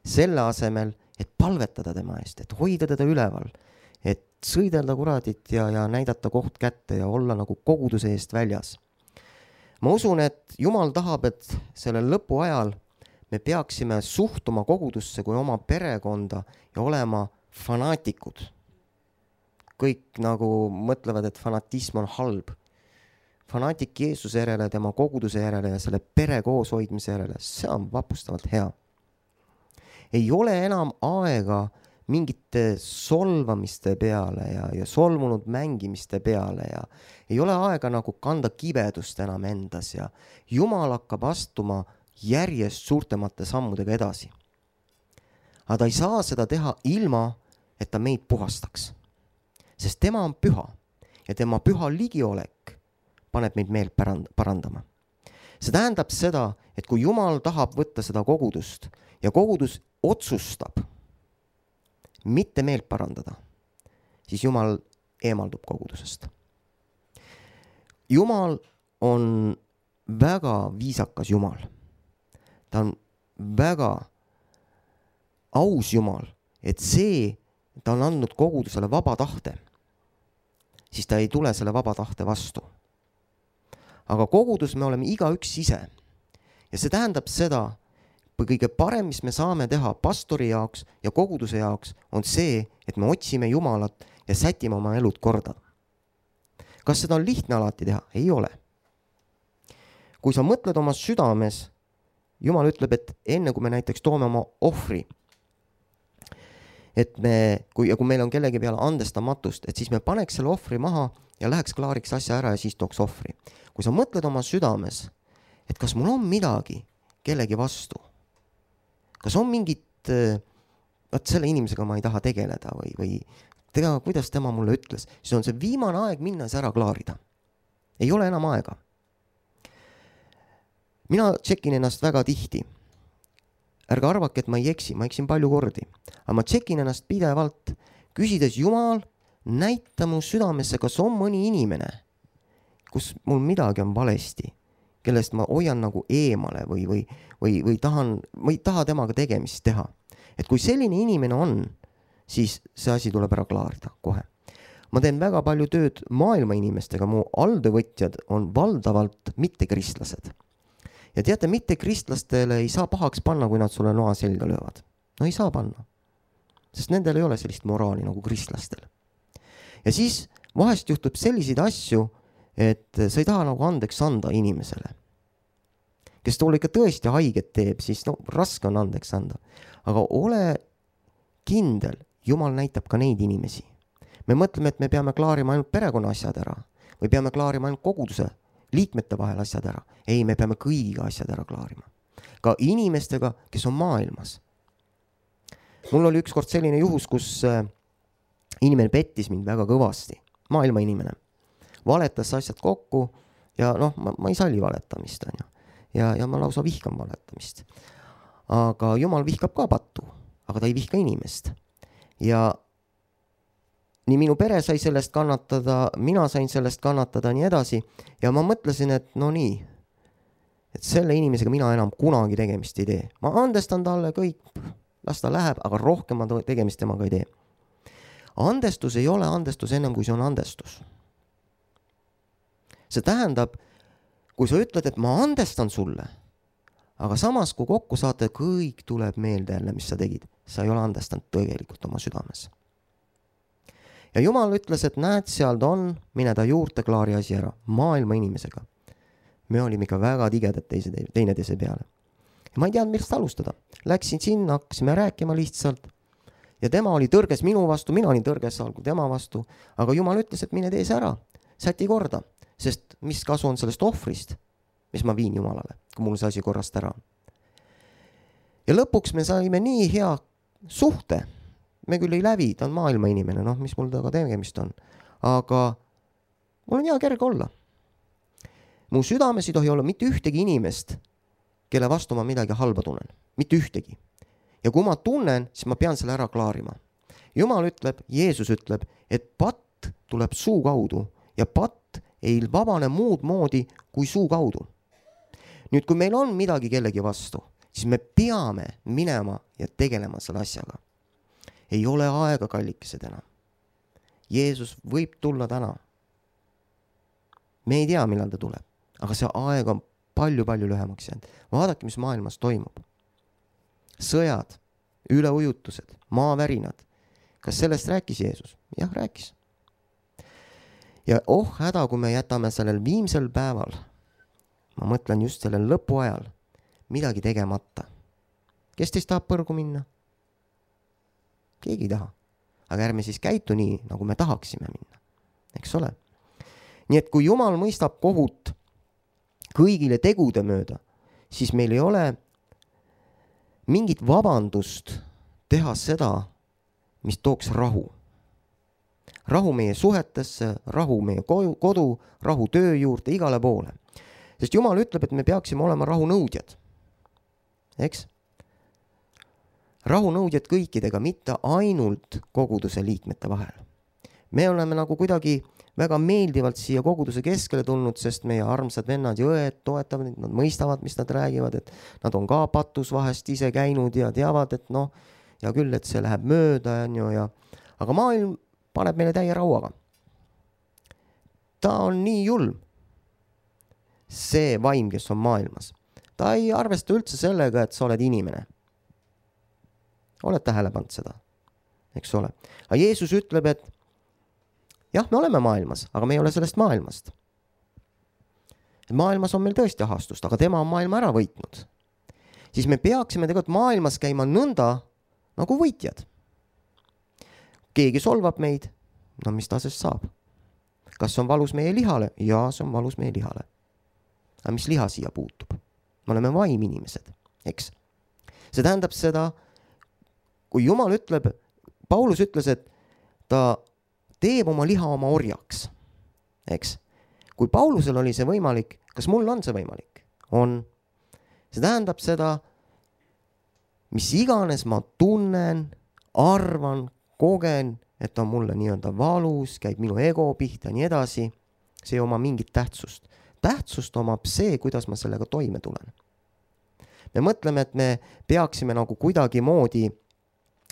Selle asemel, et palvetada tema eest, et hoida teda üleval, et sõidelda kuradit ja näidata koht kätte ja olla nagu koguduse eest väljas. Ma usun, et Jumal tahab, et sellel lõpu ajal me peaksime suhtuma kogudusse kui oma perekonda ja olema fanaatikud. Kõik nagu mõtlevad, et fanatism on halb. Fanaatik Jeesuse järele, tema koguduse järele ja selle pere kooshoidmise järele, see on vapustavalt hea. Ei ole enam aega mingite solvamiste peale ja solmunud mängimiste peale ja ei ole aega nagu kanda kibedust enam endas ja Jumal hakkab astuma järjest suurtemate sammudega edasi. Aga ta ei saa seda teha ilma, et ta meid puhastaks. Sest tema on püha ja tema püha ligiolek paneb meid meelt parandama. See tähendab seda, et kui Jumal tahab võtta seda kogudust ja kogudus otsustab mitte meelt parandada, siis Jumal eemaldub kogudusest. Jumal on väga viisakas Jumal. Ta on väga aus Jumal, et ta on andnud kogudusele vaba tahte, siis ta ei tule selle vaba tahte vastu. Aga kogudus me oleme igaüks ise. Ja see tähendab seda, kõige parem, mis me saame teha pastori jaoks ja koguduse jaoks, on see, et me otsime Jumalat ja sätime oma elud korda. Kas seda on lihtne alati teha? Ei ole. Kui sa mõtled oma südames, Jumal ütleb, et enne kui me näiteks toome oma ohvri, et kui meil on kellegi peale andestamatust, et siis me paneks selle ohvri maha ja läheks klaariks asja ära ja siis tooks ohvri. Kui sa mõtled oma südames, et kas mul on midagi kellegi vastu, kas on mingit, selle inimesega ma ei taha tegeleda või kuidas tema mulle ütles, siis on see viimane aeg minna see ära klaarida. Ei ole enam aega. Mina tšekin ennast väga tihti. Ärge arvake, et ma ei eksi, ma eksin palju kordi. Aga ma tšekin ennast pidevalt, küsides Jumal, näita mu südamesse, kas on mõni inimene, kus mul midagi on valesti, kellest ma hoian nagu eemale või ma ei taha temaga tegemist teha. Et kui selline inimene on, siis see asi tuleb ära klaarida kohe. Ma teen väga palju tööd maailma inimestega, mu alltöövõtjad on valdavalt mittekristlased. Ja teate, mittekristlastele ei saa pahaks panna, kui nad sulle noa selga löövad. No ei saa panna, sest nendel ei ole sellist moraali nagu kristlastel. Ja siis vahest juhtub selliseid asju, et sa ei taha nagu andeks anda inimesele. Kes toole ikka tõesti haiget teeb, siis raske on andeks anda. Aga ole kindel, Jumal näitab ka neid inimesi. me mõtleme, et me peame klaarima ainult perekonna asjad ära või peame klaarima ainult koguduse liikmete vahel asjad ära. Ei, me peame kõigiga asjad ära klaarima. Ka inimestega, kes on maailmas. Mul oli ükskord selline juhus, kus inimene pettis mind väga kõvasti. Maailma inimene. Valetas asjad kokku ja ma ei salli valetamist. Ja ma lausa vihkan valetamist. Aga Jumal vihkab ka pattu, aga ta ei vihka inimest. Ja nii minu pere sai sellest kannatada, mina sain sellest kannatada, nii edasi. Ja ma mõtlesin, et nii, et selle inimesega mina enam kunagi tegemist ei tee. Ma andestan talle kõik, las ta läheb, aga rohkem ma tegemist temaga ei tee. Andestus ei ole andestus ennem, kui see on andestus. See tähendab, kui sa ütled, et ma andestan sulle, aga samas, kui kokku saate, kõik tuleb meelde jälle, mis sa tegid. Sa ei ole andestanud tegelikult oma südames. Ja Jumal ütles, et näed, seal ta on, mine ta juurde, klaari asi ära, maailma inimesega. Me olime ikka väga tigedad teineteise peale. Ja ma ei teadnud, millest alustada. Läksin sinna, hakkasime rääkima lihtsalt. Ja tema oli tõrges minu vastu, mina olin tõrges algu tema vastu. Aga Jumal ütles, et mine tee see ära, säti korda. Sest mis kasu on sellest ohvrist, mis ma viin Jumalale, kui mul see asi korrast ära on. Ja lõpuks me saime nii hea suhte. Me küll ei lävi, ta on maailma inimene, mis mul taga tegemist on. Aga mul on hea kerge olla. Mu südames ei tohi olla mitte ühtegi inimest, kelle vastu ma midagi halba tunnen. Mitte ühtegi. Ja kui ma tunnen, siis ma pean selle ära klaarima. Jumal ütleb, Jeesus ütleb, et patt tuleb suu kaudu ja patt ei vabane muud moodi kui suu kaudu. Nüüd, kui meil on midagi kellegi vastu, siis me peame minema ja tegelema selle asjaga. Ei ole aega kallikesed enam. Jeesus võib tulla täna. Me ei tea, millal ta tuleb, aga see aeg on palju-palju lühemaks jäänud. Vaadake, mis maailmas toimub. Sõjad, üleujutused, maavärinad. Kas sellest rääkis Jeesus? Jah, rääkis. Ja häda, kui me jätame sellel viimsel päeval, ma mõtlen just sellel lõpu ajal, midagi tegemata. Kes teist tahab põrgu minna? Keegi ei taha. Aga ärme siis käitu nii, nagu me tahaksime minna. Eks ole? Nii et kui Jumal mõistab kohut kõigile tegude mööda, siis meil ei ole mingit vabandust teha seda, mis tooks rahu. Rahu meie suhetesse, rahu meie kodu, rahu töö juurde, igale poole. Sest Jumal ütleb, et me peaksime olema rahunõudjad. Eks? Rahunõudjad kõikidega, mitte ainult koguduse liikmete vahel. Me oleme nagu kuidagi väga meeldivalt siia koguduse keskele tulnud, sest meie armsad vennad ja õed toetavad, nad mõistavad, mis nad räägivad, et nad on ka patus vahest ise käinud ja teavad, et ja küll, et see läheb mööda. Aga maailm paneb meile täie rauaga. Ta on nii julm. See vaim, kes on maailmas. Ta ei arvesta üldse sellega, et sa oled inimene. Oled tähele pannud seda? Eks ole. Aga Jeesus ütleb, et jah, me oleme maailmas, aga me ei ole sellest maailmast. Maailmas on meil tõesti ahastust, aga tema on maailma ära võitnud. Siis me peaksime tegelikult maailmas käima nõnda nagu võitjad. Keegi solvab meid, mis ta sest saab? Kas on valus meie lihale? Jaa, see on valus meie lihale. Aga mis liha siia puutub? Me oleme vaiminimesed, eks? See tähendab seda, kui Jumal ütleb, Paulus ütles, et ta teeb oma liha oma orjaks, eks? Kui Paulusel oli see võimalik, kas mul on see võimalik? On. See tähendab seda, mis iganes ma tunnen, arvan, kogen, et on mulle nii-öelda valus, käib minu ego pihta ja nii edasi, see ei oma mingit tähtsust. Tähtsust omab see, kuidas ma sellega toime tulen. Me mõtleme, et me peaksime nagu kuidagi moodi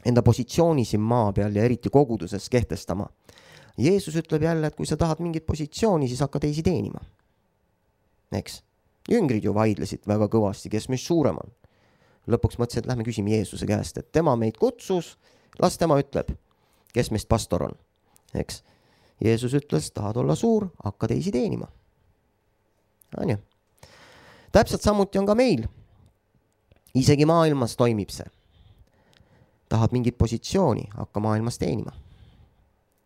enda positsiooni siin maa peal ja eriti koguduses kehtestama. Jeesus ütleb jälle, et kui sa tahad mingit positsiooni, siis hakka teisi teenima. Eks? Jüngrid ju vaidlesid väga kõvasti, kes meist suurem on. Lõpuks mõtlesin, et lähme küsime Jeesuse käest, et tema meid kutsus, las tema ütleb, kes meist pastor on. Eks? Jeesus ütles, tahad olla suur, hakka teisi teenima. Anja. Täpselt samuti on ka meil. Isegi maailmas toimib see. Tahad mingit positsiooni, hakka maailmas teenima.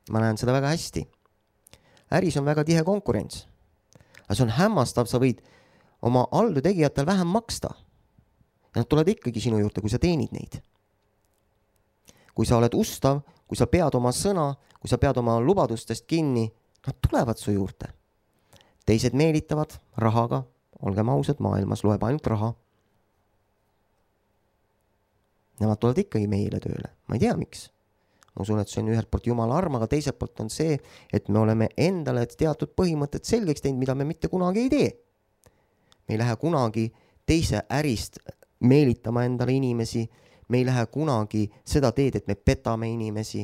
ma näen seda väga hästi. äris on väga tihe konkurents. aga see on hämmastav, sa võid oma alltöötegijatel vähem maksta. ja nad tulevad ikkagi sinu juurde, kui sa teenid neid. kui sa oled ustav, kui sa pead oma sõna, kui sa pead oma lubadustest kinni, nad tulevad su juurde. teised meelitavad rahaga, olgem ausad, maailmas loeb ainult raha. Nemad tulevad ikkagi meile tööle, ma ei tea miks. Ma usun, et see on ühelt poolt Jumala arm, aga teiselt poolt on see, et me oleme endale teatud põhimõtted selgeks teinud, mida me mitte kunagi ei tee. Me ei lähe kunagi teise ärist meelitama endale inimesi, me ei lähe kunagi seda teed, et me petame inimesi,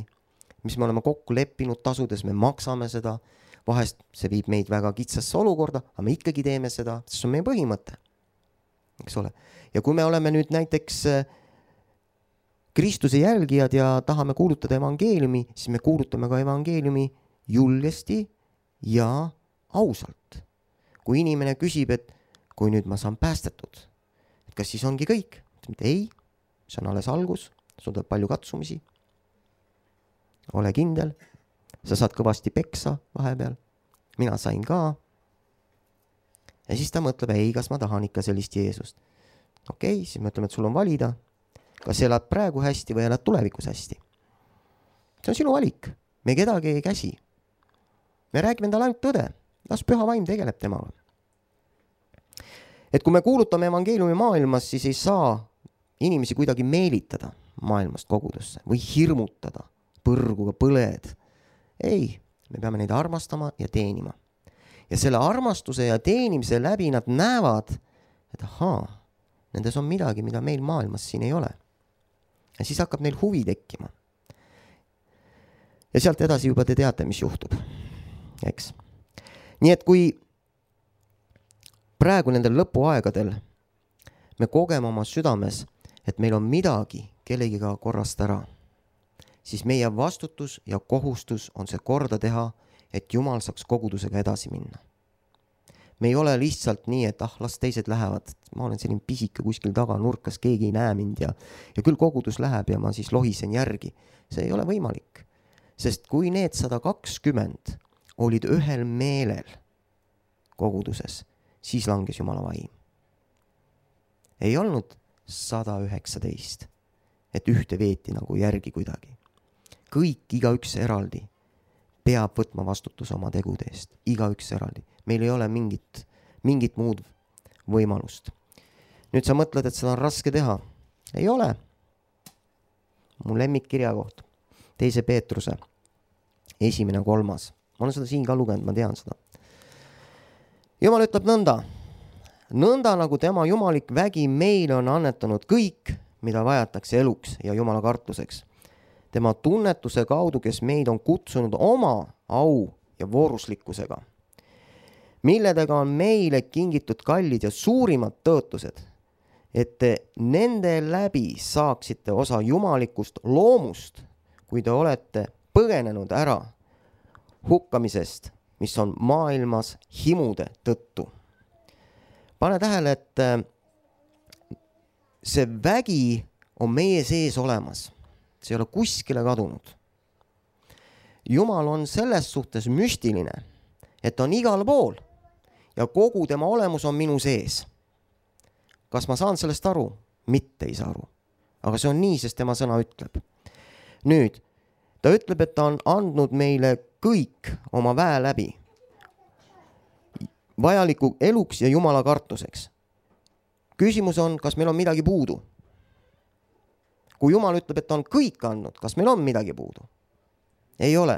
mis me oleme kokku leppinud tasudes, me maksame seda, vahest see viib meid väga kitsasse olukorda, aga me ikkagi teeme seda, see on meie põhimõte. Eks ole? Ja kui me oleme nüüd näiteks Kristuse jälgijad ja tahame kuulutada evangeeliumi, siis me kuulutame ka evangeeliumi julgesti ja ausalt. Kui inimene küsib, et kui nüüd ma saan päästetud, et kas siis ongi kõik? Ei, see on alles algus, sul tuleb palju katsumisi. Ole kindel, sa saad kõvasti peksa vahepeal, mina sain ka. Ja siis ta mõtleb, ei, kas ma tahan ikka sellist Jeesust. Okei, siis me ütleme, et sul on valida, kas elad praegu hästi või elad tulevikus hästi. See on sinu valik, me kedagi ei käsi. Me räägime endale ainult tõde, las püha vaim tegeleb temaga. Et kui me kuulutame evangeeliumi maailmas, siis ei saa inimesi kuidagi meelitada maailmast kogudusse või hirmutada põrguga põled. Ei, me peame neid armastama ja teenima. Ja selle armastuse ja teenimise läbi nad näevad, et ahaa, nendes on midagi, mida meil maailmas siin ei ole. Ja siis hakkab neil huvi tekkima. Ja sealt edasi juba te teate, mis juhtub. Eks? Nii et kui praegu nendel lõpuaegadel me kogeme oma südames, et meil on midagi kellegiga korrast ära, siis meie vastutus ja kohustus on see korda teha, et Jumal saaks kogudusega edasi minna. Me ei ole lihtsalt nii, et las teised lähevad, ma olen selline pisike kuskil taga nurkas, keegi ei näe mind ja küll kogudus läheb ja ma siis lohisen järgi. See ei ole võimalik, sest kui need 120 olid ühel meelel koguduses, siis langes Jumala vaim. Ei olnud 119, et ühte veeti nagu järgi kuidagi. Kõik, igaüks eraldi peab võtma vastutuse oma tegude eest, igaüks eraldi. Meil ei ole mingit muud võimalust. Nüüd sa mõtled, et seda on raske teha. Ei ole. Mu lemmikkirja koht. 2. Peetruse 1.3. Ma olen seda siin ka lugenud, ma tean seda. Jumal ütleb nõnda. Nõnda nagu tema jumalik vägi meile on annetanud kõik, mida vajatakse eluks ja Jumala kartuseks. Tema tunnetuse kaudu, kes meid on kutsunud oma au ja vooruslikkusega, milledega on meile kingitud kallid ja suurimad tõotused, et te nende läbi saaksite osa jumalikust loomust, kui te olete põgenenud ära hukkamisest, mis on maailmas himude tõttu. Pane tähele, et see vägi on meie sees olemas. See ei ole kuskile kadunud. Jumal on selles suhtes müstiline, et on igal pool ja kogu tema olemus on minu sees. Kas ma saan sellest aru? Mitte ei saa aru. Aga see on nii, sest tema sõna ütleb. Nüüd, ta ütleb, et ta on andnud meile kõik oma väe läbi vajaliku eluks ja Jumala kartuseks. Küsimus on, kas meil on midagi puudu? Kui Jumal ütleb, et ta on kõik andnud, kas meil on midagi puudu? Ei ole.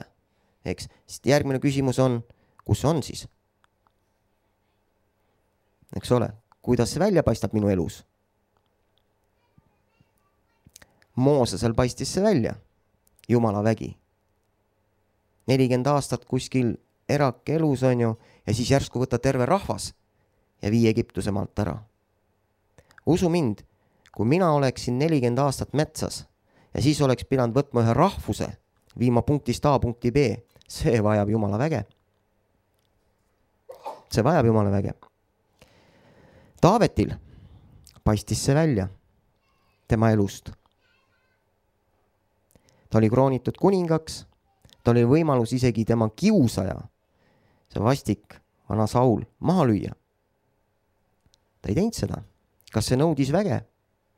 Eks? Järgmine küsimus on, kus on siis? Eks ole, kuidas see välja paistab minu elus? Moosesel paistis see välja, Jumala vägi. 40 aastat kuskil erak elus on ju, ja siis järsku võtta terve rahvas ja vii Egiptuse maalt ära. Usu mind, kui mina oleksin 40 aastat metsas ja siis oleks pidanud võtma ühe rahvuse, viima punktist A punkti B, see vajab Jumala väge. See vajab Jumala väge. Taavetil paistis see välja tema elust. Ta oli kroonitud kuningaks, tal oli võimalus isegi tema kiusaja, see vastik vana Saul, maha lüüa. Ta ei teinud seda. Kas see nõudis väge?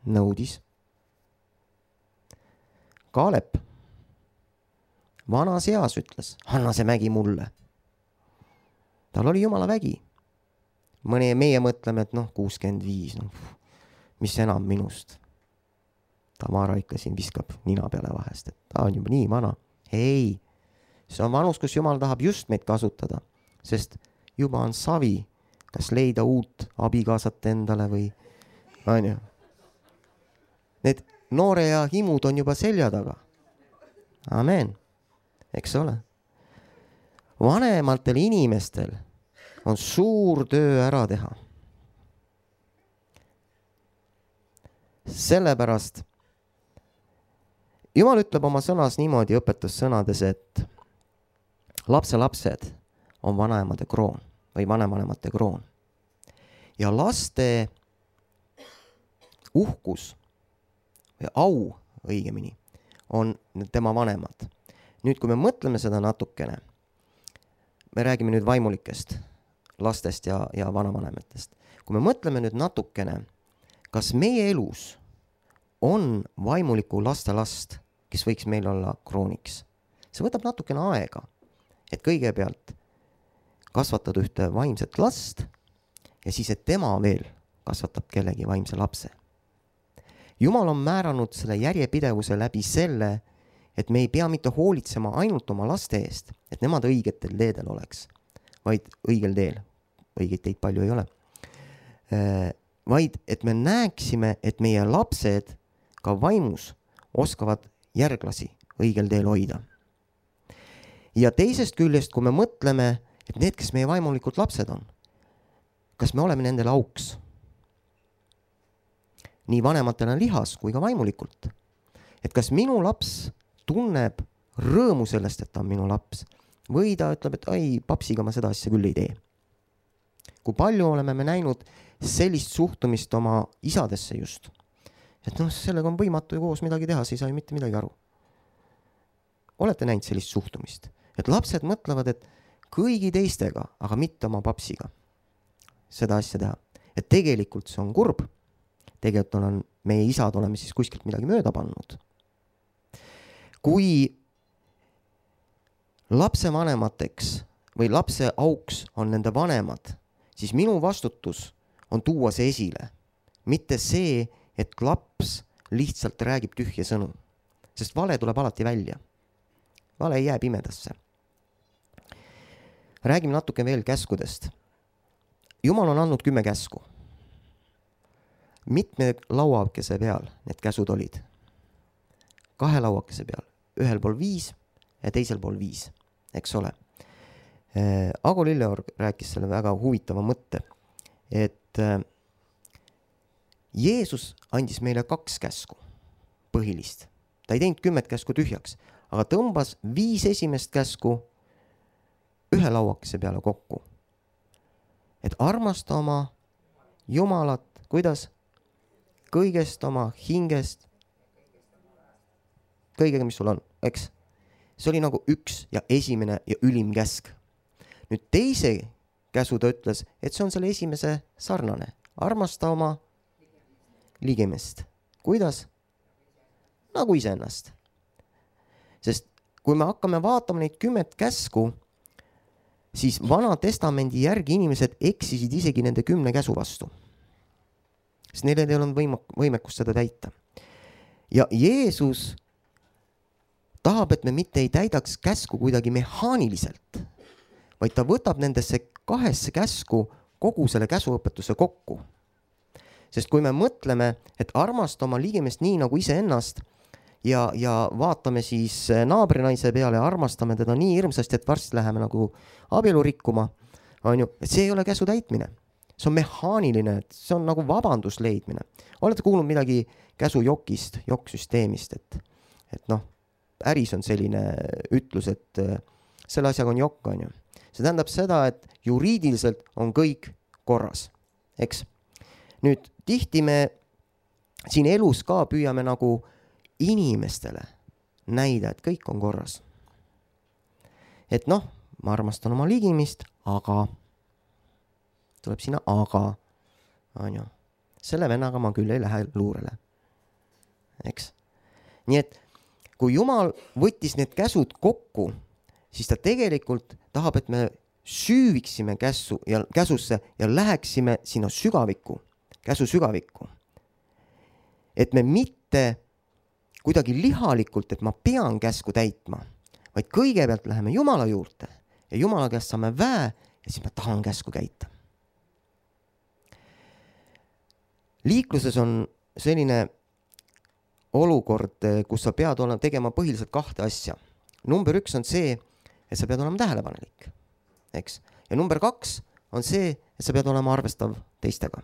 Nõudis. Kaalep vanas eas ütles, anna see mägi mulle. Tal oli Jumala vägi. Meie mõtleme, et 65, mis enam minust. Tamara ikka siin viskab nina peale vahest, et ta on juba nii vana. Ei, see on vanus, kus Jumal tahab just meid kasutada, sest juba on savi, kas leida uut abikaasat endale või on ju. Need noore ja himud on juba selja taga. Amen. Eks ole. Vanematel inimestel on suur töö ära teha. Sellepärast Jumal ütleb oma sõnas niimoodi õpetussõnades, et lapselapsed on vanaemade kroon või vanavanemate kroon. Ja laste uhkus või au õigemini on tema vanemad. Nüüd, kui me mõtleme seda natukene, me räägime nüüd vaimulikest lastest ja vanavanematest. Kui me mõtleme nüüd natukene, kas meie elus on vaimuliku lastelast, kes võiks meil olla krooniks. See võtab natukene aega, et kõigepealt kasvatada ühte vaimset last ja siis, et tema veel kasvatab kellegi vaimse lapse. Jumal on määranud selle järjepidevuse läbi selle, et me ei pea mitte hoolitsema ainult oma laste eest, et nemad õigetel teedel oleks, vaid õigel teel, õigeid teid palju ei ole, vaid et me näeksime, et meie lapsed ka vaimus oskavad järglasi õigel teel hoida. Ja teisest küljest, kui me mõtleme, et need, kes meie vaimulikud lapsed on, kas me oleme nendele auks? Nii vanematena lihas kui ka vaimulikult. Et kas minu laps tunneb rõõmu sellest, et ta on minu laps, või ta ütleb, et ai, papsiga ma seda asja küll ei tee. Kui palju oleme me näinud sellist suhtumist oma isadesse just, et sellega on võimatu ju koos midagi teha, sa ei saa ju mitte midagi aru. Olete näinud sellist suhtumist, et lapsed mõtlevad, et kõigi teistega, aga mitte oma papsiga seda asja teha. Et tegelikult see on kurb. Tegelikult on meie isad oleme siis kuskilt midagi mööda pannud. Kui lapse vanemateks või lapse auks on nende vanemad, siis minu vastutus on tuua see esile. Mitte see, et laps lihtsalt räägib tühje sõnu. Sest vale tuleb alati välja. Vale ei jää pimedasse. Räägime natuke veel käskudest. Jumal on andnud 10 käsku. Mitme lauakese peal need käsud olid? 2 lauakese peal. Ühel pool 5 ja teisel pool 5. Eks ole. Ago Lilleorg rääkis selle väga huvitava mõtte, et Jeesus andis meile 2 käsku põhilist. Ta ei teinud 10 käsku tühjaks, aga tõmbas 5 esimest käsku 1 lauakese peale kokku. Et armasta oma Jumalat, kuidas? Kõigest oma hingest, kõigega, mis sul on, eks? See oli nagu 1 ja esimene ja ülim käsk. Nüüd teise käsu ta ütles, et see on selle esimese sarnane. Armasta oma ligemest. Kuidas? Nagu iseennast. Sest kui me hakkame vaatama neid 10 käsku, siis Vana Testamendi järgi inimesed eksisid isegi nende 10 käsu vastu. Sest neil ei olnud võimekust seda täita. Ja Jeesus tahab, et me mitte ei täidaks käsku kuidagi mehaaniliselt, vaid ta võtab nendesse 2 käsku kogu selle käsuõpetuse kokku. Sest kui me mõtleme, et armasta oma ligemest nii nagu iseennast ja vaatame siis naabrinaise peale ja armastame teda nii hirmsasti, et varsti läheme nagu abielu rikkuma, on ju, et see ei ole käsu täitmine. See on mehaaniline, see on nagu vabandus leidmine. Olete kuulnud midagi käsujokist, jokksüsteemist, et äris on selline ütlus, et selle asjaga on jokk, on ju. See tähendab seda, et juriidiliselt on kõik korras, eks? Nüüd, tihti me siin elus ka püüame nagu inimestele näida, et kõik on korras. et noh, ma armastan oma ligimist, aga tuleb sinna aga, on ju. Selle vennaga ma küll ei lähe luurele. Eks? Nii et kui Jumal võttis need käsud kokku, siis ta tegelikult tahab, et me süüviksime käsusse ja läheksime sinna sügavikku, käsu sügavikku. Et me mitte kuidagi lihalikult, et ma pean käsku täitma, vaid kõigepealt läheme Jumala juurde ja Jumala käest saame väe ja siis ma tahan käsku käita. Liikluses on selline olukord, kus sa pead tegema põhiliselt 2 asja. Number 1 on see, et sa pead olema tähelepanelik, eks? Ja number 2 on see, et sa pead olema arvestav teistega.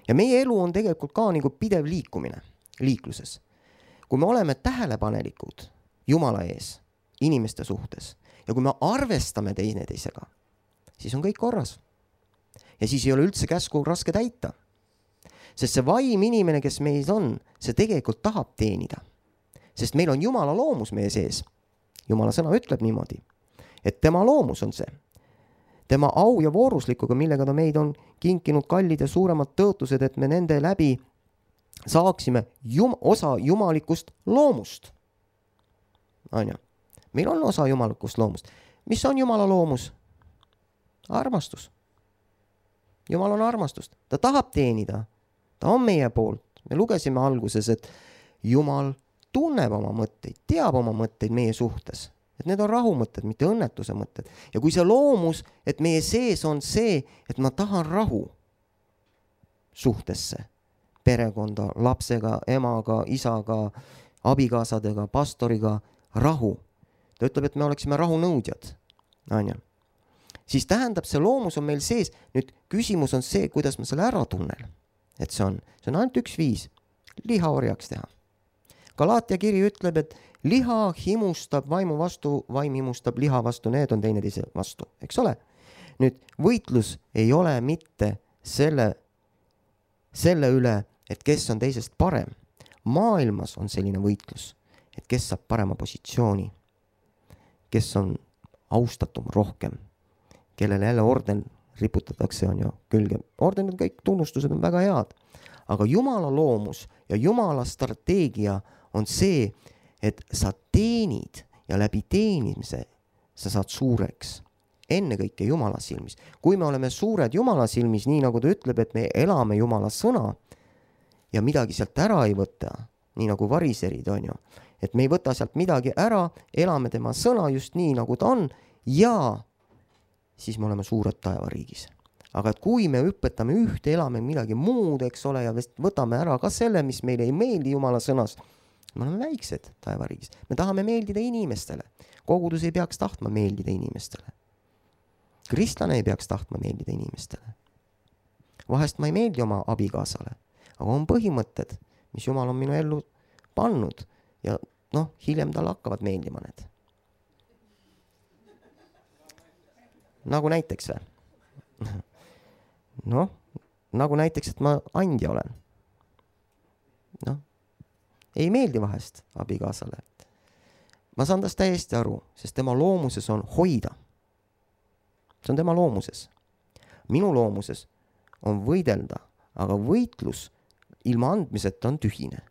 Ja meie elu on tegelikult ka nagu pidev liikumine liikluses. Kui me oleme tähelepanelikud Jumala ees, inimeste suhtes, ja kui me arvestame teineteisega, siis on kõik korras. Ja siis ei ole üldse käsku raske täita. Sest see vaim inimene, kes meis on, see tegelikult tahab teenida. Sest meil on Jumala loomus meie sees. Jumala sõna ütleb niimoodi, et tema loomus on see. Tema au ja vooruslikuga, millega ta meid on kinkinud kallid ja suuremad tõotused, et me nende läbi saaksime osa jumalikust loomust. Anja, meil on osa jumalikust loomust. Mis on Jumala loomus? Armastus. Jumal on armastust. Ta tahab teenida. Ta on meie poolt. Me lugesime alguses, et Jumal tunneb oma mõtteid, teab oma mõtteid meie suhtes. Et need on rahumõtted, mitte õnnetuse mõtted. Ja kui see loomus, et meie sees on see, et ma tahan rahu suhtesse, perekonda, lapsega, emaga, isaga, abikaasadega, pastoriga, rahu. Ta ütleb, et me oleksime rahunõudjad. Anja. Siis tähendab, see loomus on meil sees. Nüüd küsimus on see, kuidas ma selle ära tunnen. Et see on ainult 1 viis. Liha orjaks teha. Galaatia kiri ütleb, et liha himustab vaimu vastu, vaim himustab liha vastu, need on teineteise vastu, eks ole? Nüüd võitlus ei ole mitte selle üle, et kes on teisest parem. Maailmas on selline võitlus, et kes saab parema positsiooni, kes on austatum rohkem, kellele jälle orden riputatakse, on ju külge. Ordenid, kõik tunnustused on väga head, aga Jumala loomus ja Jumala strateegia on see, et sa teenid ja läbi teenimise sa saad suureks. Ennekõike Jumala silmis. Kui me oleme suured Jumala silmis, nii nagu ta ütleb, et me elame Jumala sõna ja midagi sealt ära ei võta, nii nagu variserid, on ju. Et me ei võta sealt midagi ära, elame tema sõna just nii, nagu ta on ja siis me oleme suured taevariigis. Aga et kui me õpetame ühte, elame midagi muud, eks ole, ja võtame ära ka selle, mis meile ei meeldi Jumala sõnas, me oleme väiksed taevariigis. Me tahame meeldida inimestele. Kogudus ei peaks tahtma meeldida inimestele. Kristlane ei peaks tahtma meeldida inimestele. Vahest ma ei meeldi oma abikaasale, aga on põhimõtted, mis Jumal on minu ellu pannud ja hiljem tal hakkavad meeldima need. Nagu näiteks nagu näiteks, et ma andja olen. Ei meeldi vahest abikaasale. Ma saan tast täiesti aru, sest tema loomuses on hoida. See on tema loomuses. Minu loomuses on võidelda, aga võitlus ilma andmiseta on tühine.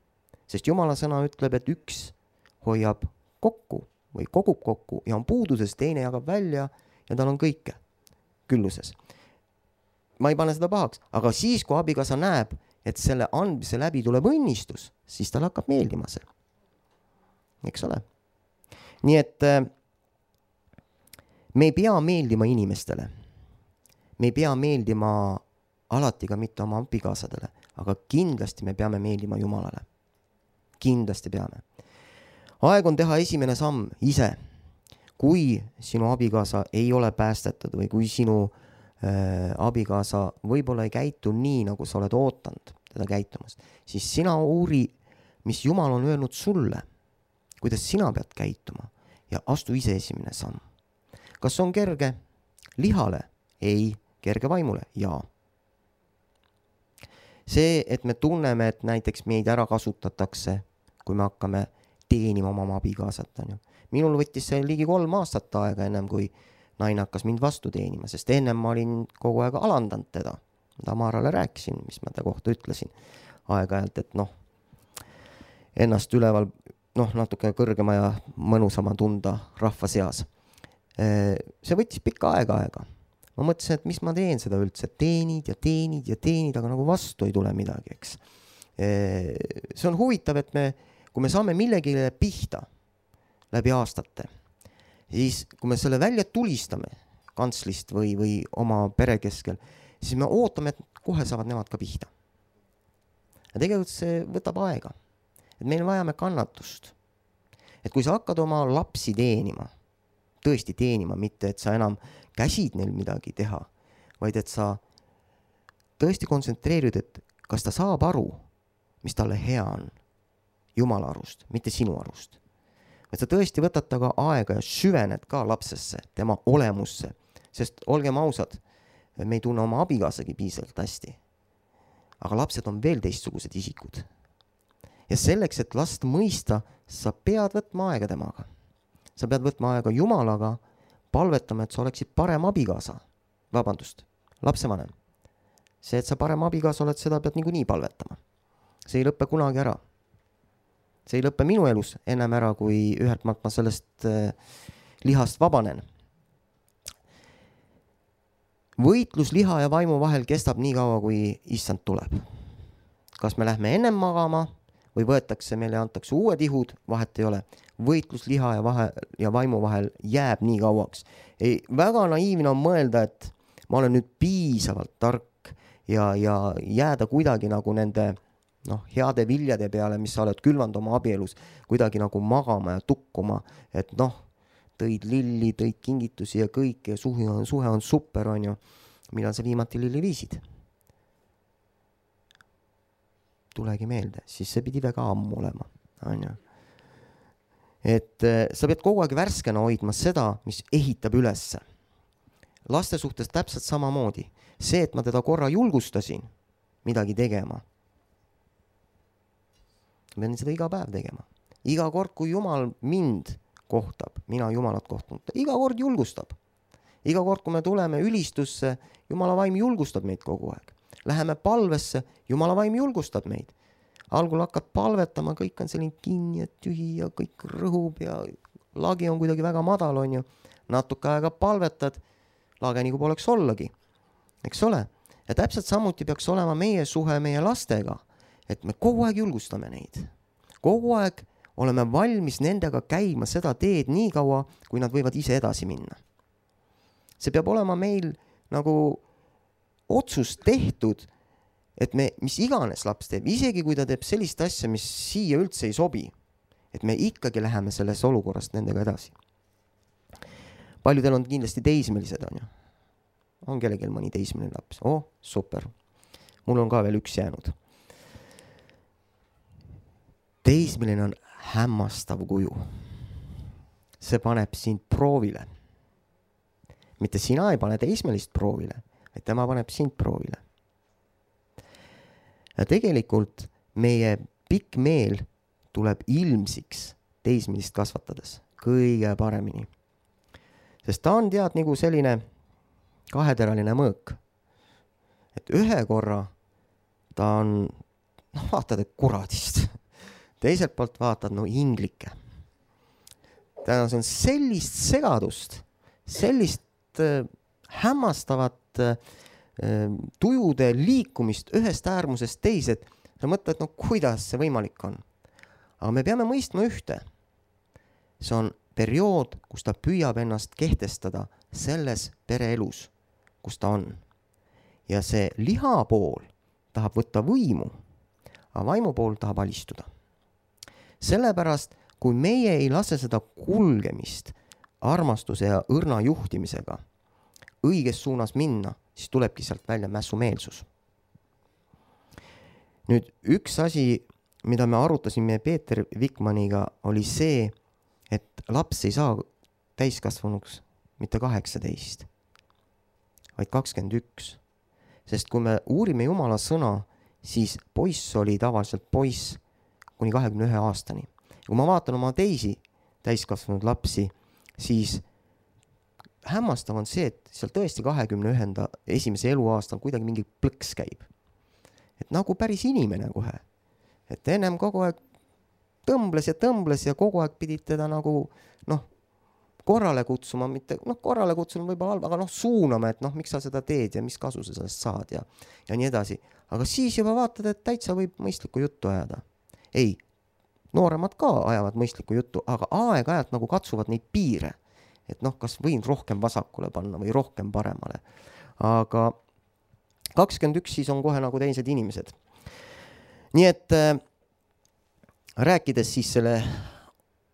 Sest Jumala sõna ütleb, et üks hoiab kokku või kogub kokku ja on puuduses, teine jagab välja ja tal on kõike külluses. Ma ei pane seda pahaks, aga siis, kui abikaasa näeb, et selle andmise läbi tuleb õnnistus, siis tal hakkab meeldima see. Eks ole? Nii et me ei pea meeldima inimestele. Me ei pea meeldima alati ka mitte oma abikaasadele, aga kindlasti me peame meeldima Jumalale. Kindlasti peame. Aeg on teha esimene samm ise. Kui sinu abikaasa ei ole päästetud või kui sinu abikaasa võib-olla ei käitu nii, nagu sa oled ootanud teda käitumast, siis sina uuri, mis Jumal on öelnud sulle, kuidas sina pead käituma ja astu ise esimene samm. Kas on kerge? Lihale? Ei. Kerge vaimule? Jaa. See, et me tunneme, et näiteks meid ära kasutatakse, kui me hakkame teenima oma abikaasat, on ju. minul võttis see ligi 3 aastat aega ennem, kui naine hakkas mind vastu teenima, sest ennem ma olin kogu aeg alandanud teda. Tamarale rääkisin, mis ma ta kohta ütlesin aeg-ajalt, et ennast üleval natuke kõrgema ja mõnusama tunda rahva seas. See võttis pikka aega. Ma mõtlesin, et mis ma teen seda üldse, teenid, aga nagu vastu ei tule midagi, eks. See on huvitav, et kui me saame millegile pihta läbi aastate, siis kui me selle välja tulistame kantslist või oma pere keskel, siis me ootame, et kohe saavad nemad ka pihta. Ja tegelikult see võtab aega. Et meil vajame kannatust. Et kui sa hakkad oma lapsi teenima, tõesti teenima, mitte et sa enam käsid neil midagi teha, vaid et sa tõesti kontsentreerid, et kas ta saab aru, mis talle hea on Jumala arust, mitte sinu arust. Et sa tõesti võtad taga aega ja süvened ka lapsesse, tema olemusse, sest olgem ausad, me ei tunne oma abikaasagi piisavalt hästi. Aga lapsed on veel teistsugused isikud. Ja selleks, et last mõista, sa pead võtma aega temaga. Sa pead võtma aega Jumalaga, palvetama, et sa oleksid parem abikaasa. Vabandust, lapsevanem. See, et sa parem abikaasa oled, seda pead niikuinii palvetama. See ei lõppe kunagi ära. See ei lõppe minu elus ennem ära, kui ühelt maalt ma sellest lihast vabanen. Võitlus liha ja vaimu vahel kestab nii kaua, kui issand tuleb. Kas me lähme ennem magama või võetakse meile ja antakse uued ihud, vahet ei ole. Võitlus liha ja vaimu vahel jääb nii kauaks. Väga naiivne on mõelda, et ma olen nüüd piisavalt tark ja jääda kuidagi nagu nende heade viljade peale, mis sa oled külvanud oma abielus, kuidagi nagu magama ja tukkuma, et tõid lilli, tõid kingitusi ja kõik ja suhe on super, on ju. Millal sa viimati lilli viisid? Tulegi meelde, siis see pidi väga ammu olema, on ju. Et sa pead kogu aeg värskena hoidma seda, mis ehitab ülesse. Laste suhtes täpselt samamoodi. See, et ma teda korra julgustasin midagi tegema, ma pean seda iga päev tegema. Iga kord, kui Jumal mind kohtab, mina Jumalat kohtanud, iga kord julgustab. Iga kord, kui me tuleme ülistusse, Jumala vaim julgustab meid kogu aeg. Läheme palvesse, Jumala vaim julgustab meid. Algul hakkad palvetama, kõik on selline kinni ja tühi ja kõik rõhub ja lagi on kuidagi väga madal, on ju. Natuke aega palvetad, lage nagu poleks ollagi. Eks ole? Ja täpselt samuti peaks olema meie suhe meie lastega, et me kogu aeg julgustame neid. Kogu aeg oleme valmis nendega käima seda teed nii kaua, kui nad võivad ise edasi minna. See peab olema meil nagu otsus tehtud, et me, mis iganes laps teeb, isegi kui ta teeb sellist asja, mis siia üldse ei sobi, et me ikkagi läheme selles olukorrast nendega edasi. Paljudel on kindlasti teismelised, on ju. On kellelgi mõni teismeline laps. Super. Mul on ka veel üks jäänud. Teismeline on hämmastav kuju. See paneb sind proovile. Mitte sina ei pane teismelist proovile, vaid tema paneb sind proovile. Ja tegelikult meie pikk meel tuleb ilmsiks teismelist kasvatades kõige paremini. Sest ta on tead nagu selline kaheteraline mõõk. Et ühe korra ta on, vaatad, et kuradist. Teiselt poolt vaatad, inglike. Täna see on sellist segadust, sellist hämmastavat tujude liikumist ühest äärmusest teised. Sa mõtled, kuidas see võimalik on. Aga me peame mõistma ühte. See on periood, kus ta püüab ennast kehtestada selles pereelus, kus ta on. Ja see liha pool tahab võtta võimu, aga vaimu pool tahab alistuda. Sellepärast, kui meie ei lase seda kulgemist armastuse ja õrna juhtimisega õiges suunas minna, siis tulebki sealt välja mässumeelsus. Nüüd üks asi, mida me arutasime Peeter Vikmaniga, oli see, et laps ei saa täiskasvanuks mitte 18, vaid 21. Sest kui me uurime Jumala sõna, siis poiss oli tavaliselt poiss kuni 21 aastani. Kui ma vaatan oma teisi täiskasvanud lapsi, siis hämmastav on see, et seal tõesti 21. eluaastal kuidagi mingi plõks käib. Et nagu päris inimene kohe. Et ennem kogu aeg tõmbles ja kogu aeg pidid teda nagu korrale kutsuma, mitte korrale kutsuma võib-olla halb, aga suunama, et miks sa seda teed ja mis kasu sa sellest saad ja nii edasi. Aga siis juba vaatad, et täitsa võib mõistlikku juttu ajada. Ei, nooremad ka ajavad mõistlikku juttu, aga aeg-ajalt nagu katsuvad neid piire. Et kas võin rohkem vasakule panna või rohkem paremale. Aga 21 siis on kohe nagu teised inimesed. Nii et rääkides siis selle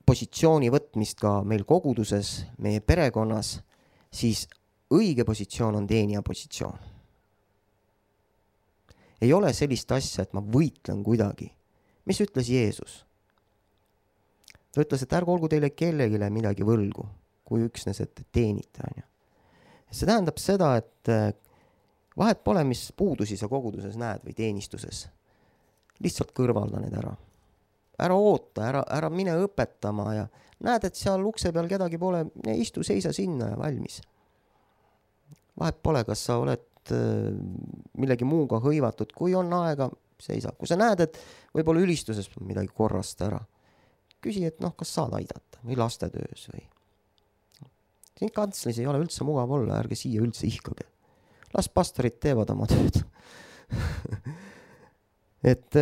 positsiooni võtmist ka meil koguduses, meie perekonnas, siis õige positsioon on teenija positsioon. Ei ole sellist asja, et ma võitlen kuidagi. Mis ütles Jeesus? Ta ütles, et ärge olgu teile kellegile midagi võlgu, kui üksnes, et teenite. See tähendab seda, et vahet pole, mis puudusi sa koguduses näed või teenistuses. Lihtsalt kõrvalda need ära. Ära oota, ära mine õpetama ja näed, et seal ukse peal kedagi pole, istu, seisa sinna ja valmis. Vahet pole, kas sa oled millegi muuga hõivatud, kui on aega, seisa. Kui sa näed, et võib-olla ülistuses midagi korrast ära, küsi, et kas saad aidata või lastetöös või. Siin kantslis ei ole üldse mugav olla, ärge siia üldse ihkage. Las pastorid teevad oma tööd. Et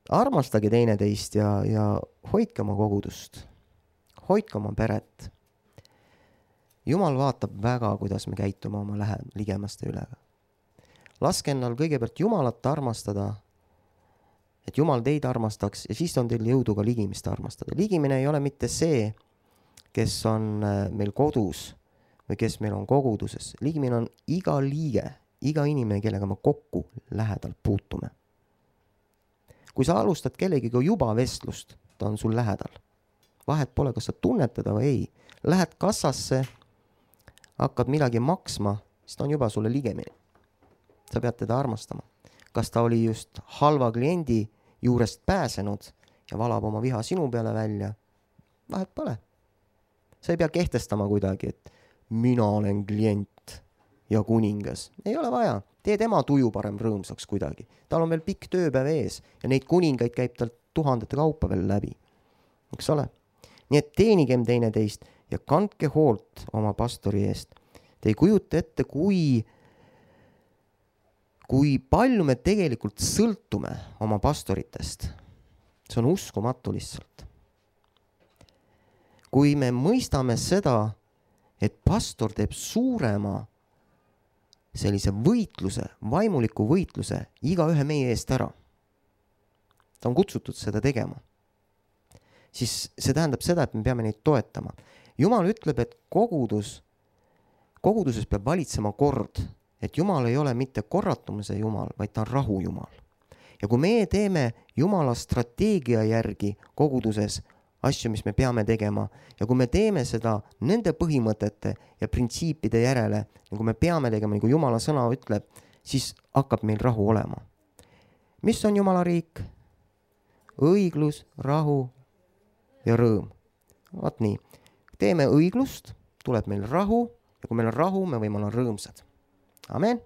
armastage teineteist ja hoidke oma kogudust. Hoidke oma peret. Jumal vaatab väga, kuidas me käitume oma ligemaste üle. Laske ennal kõigepealt Jumalat armastada, et Jumal teid armastaks ja siis on teil jõudu ka ligimist armastada. Ligimine ei ole mitte see, kes on meil kodus või kes meil on koguduses. Ligimine on iga liige, iga inimene, kellega me kokku lähedalt puutume. Kui sa alustad kellegiga juba vestlust, ta on sul lähedal. Vahet pole, kas sa tunned teda või ei. Lähed kassasse, hakkad midagi maksma, siis ta on juba sulle ligemine. Sa pead teda armastama. Kas ta oli just halva kliendi juurest pääsenud ja valab oma viha sinu peale välja? Vahet pole. Sa ei pea kehtestama kuidagi, et mina olen klient ja kuningas. Ei ole vaja. Tee tema tuju parem rõõmsaks kuidagi. Tal on veel pikk tööpäev ees ja neid kuningaid käib tal tuhandete kaupa veel läbi. Eks ole? Nii et teenigem teineteist ja kandke hoolt oma pastori eest. Te ei kujuta ette, kui palju me tegelikult sõltume oma pastoritest. See on uskumatu lihtsalt. Kui me mõistame seda, et pastor teeb suurema sellise võitluse, vaimuliku võitluse iga ühe meie eest ära. Ta on kutsutud seda tegema. Siis see tähendab seda, et me peame neid toetama. Jumal ütleb, et koguduses peab valitsema kord, et Jumal ei ole mitte korratumise Jumal, vaid ta on rahu Jumal. Ja kui me teeme Jumala strateegia järgi koguduses asju, mis me peame tegema, ja kui me teeme seda nende põhimõtete ja printsiipide järele, nagu me peame tegema, nagu Jumala sõna ütleb, siis hakkab meil rahu olema. Mis on Jumala riik? Õiglus, rahu ja rõõm. Vaat nii. Teeme õiglust, tuleb meil rahu ja kui meil on rahu, me võime olla rõõmsad. Amen.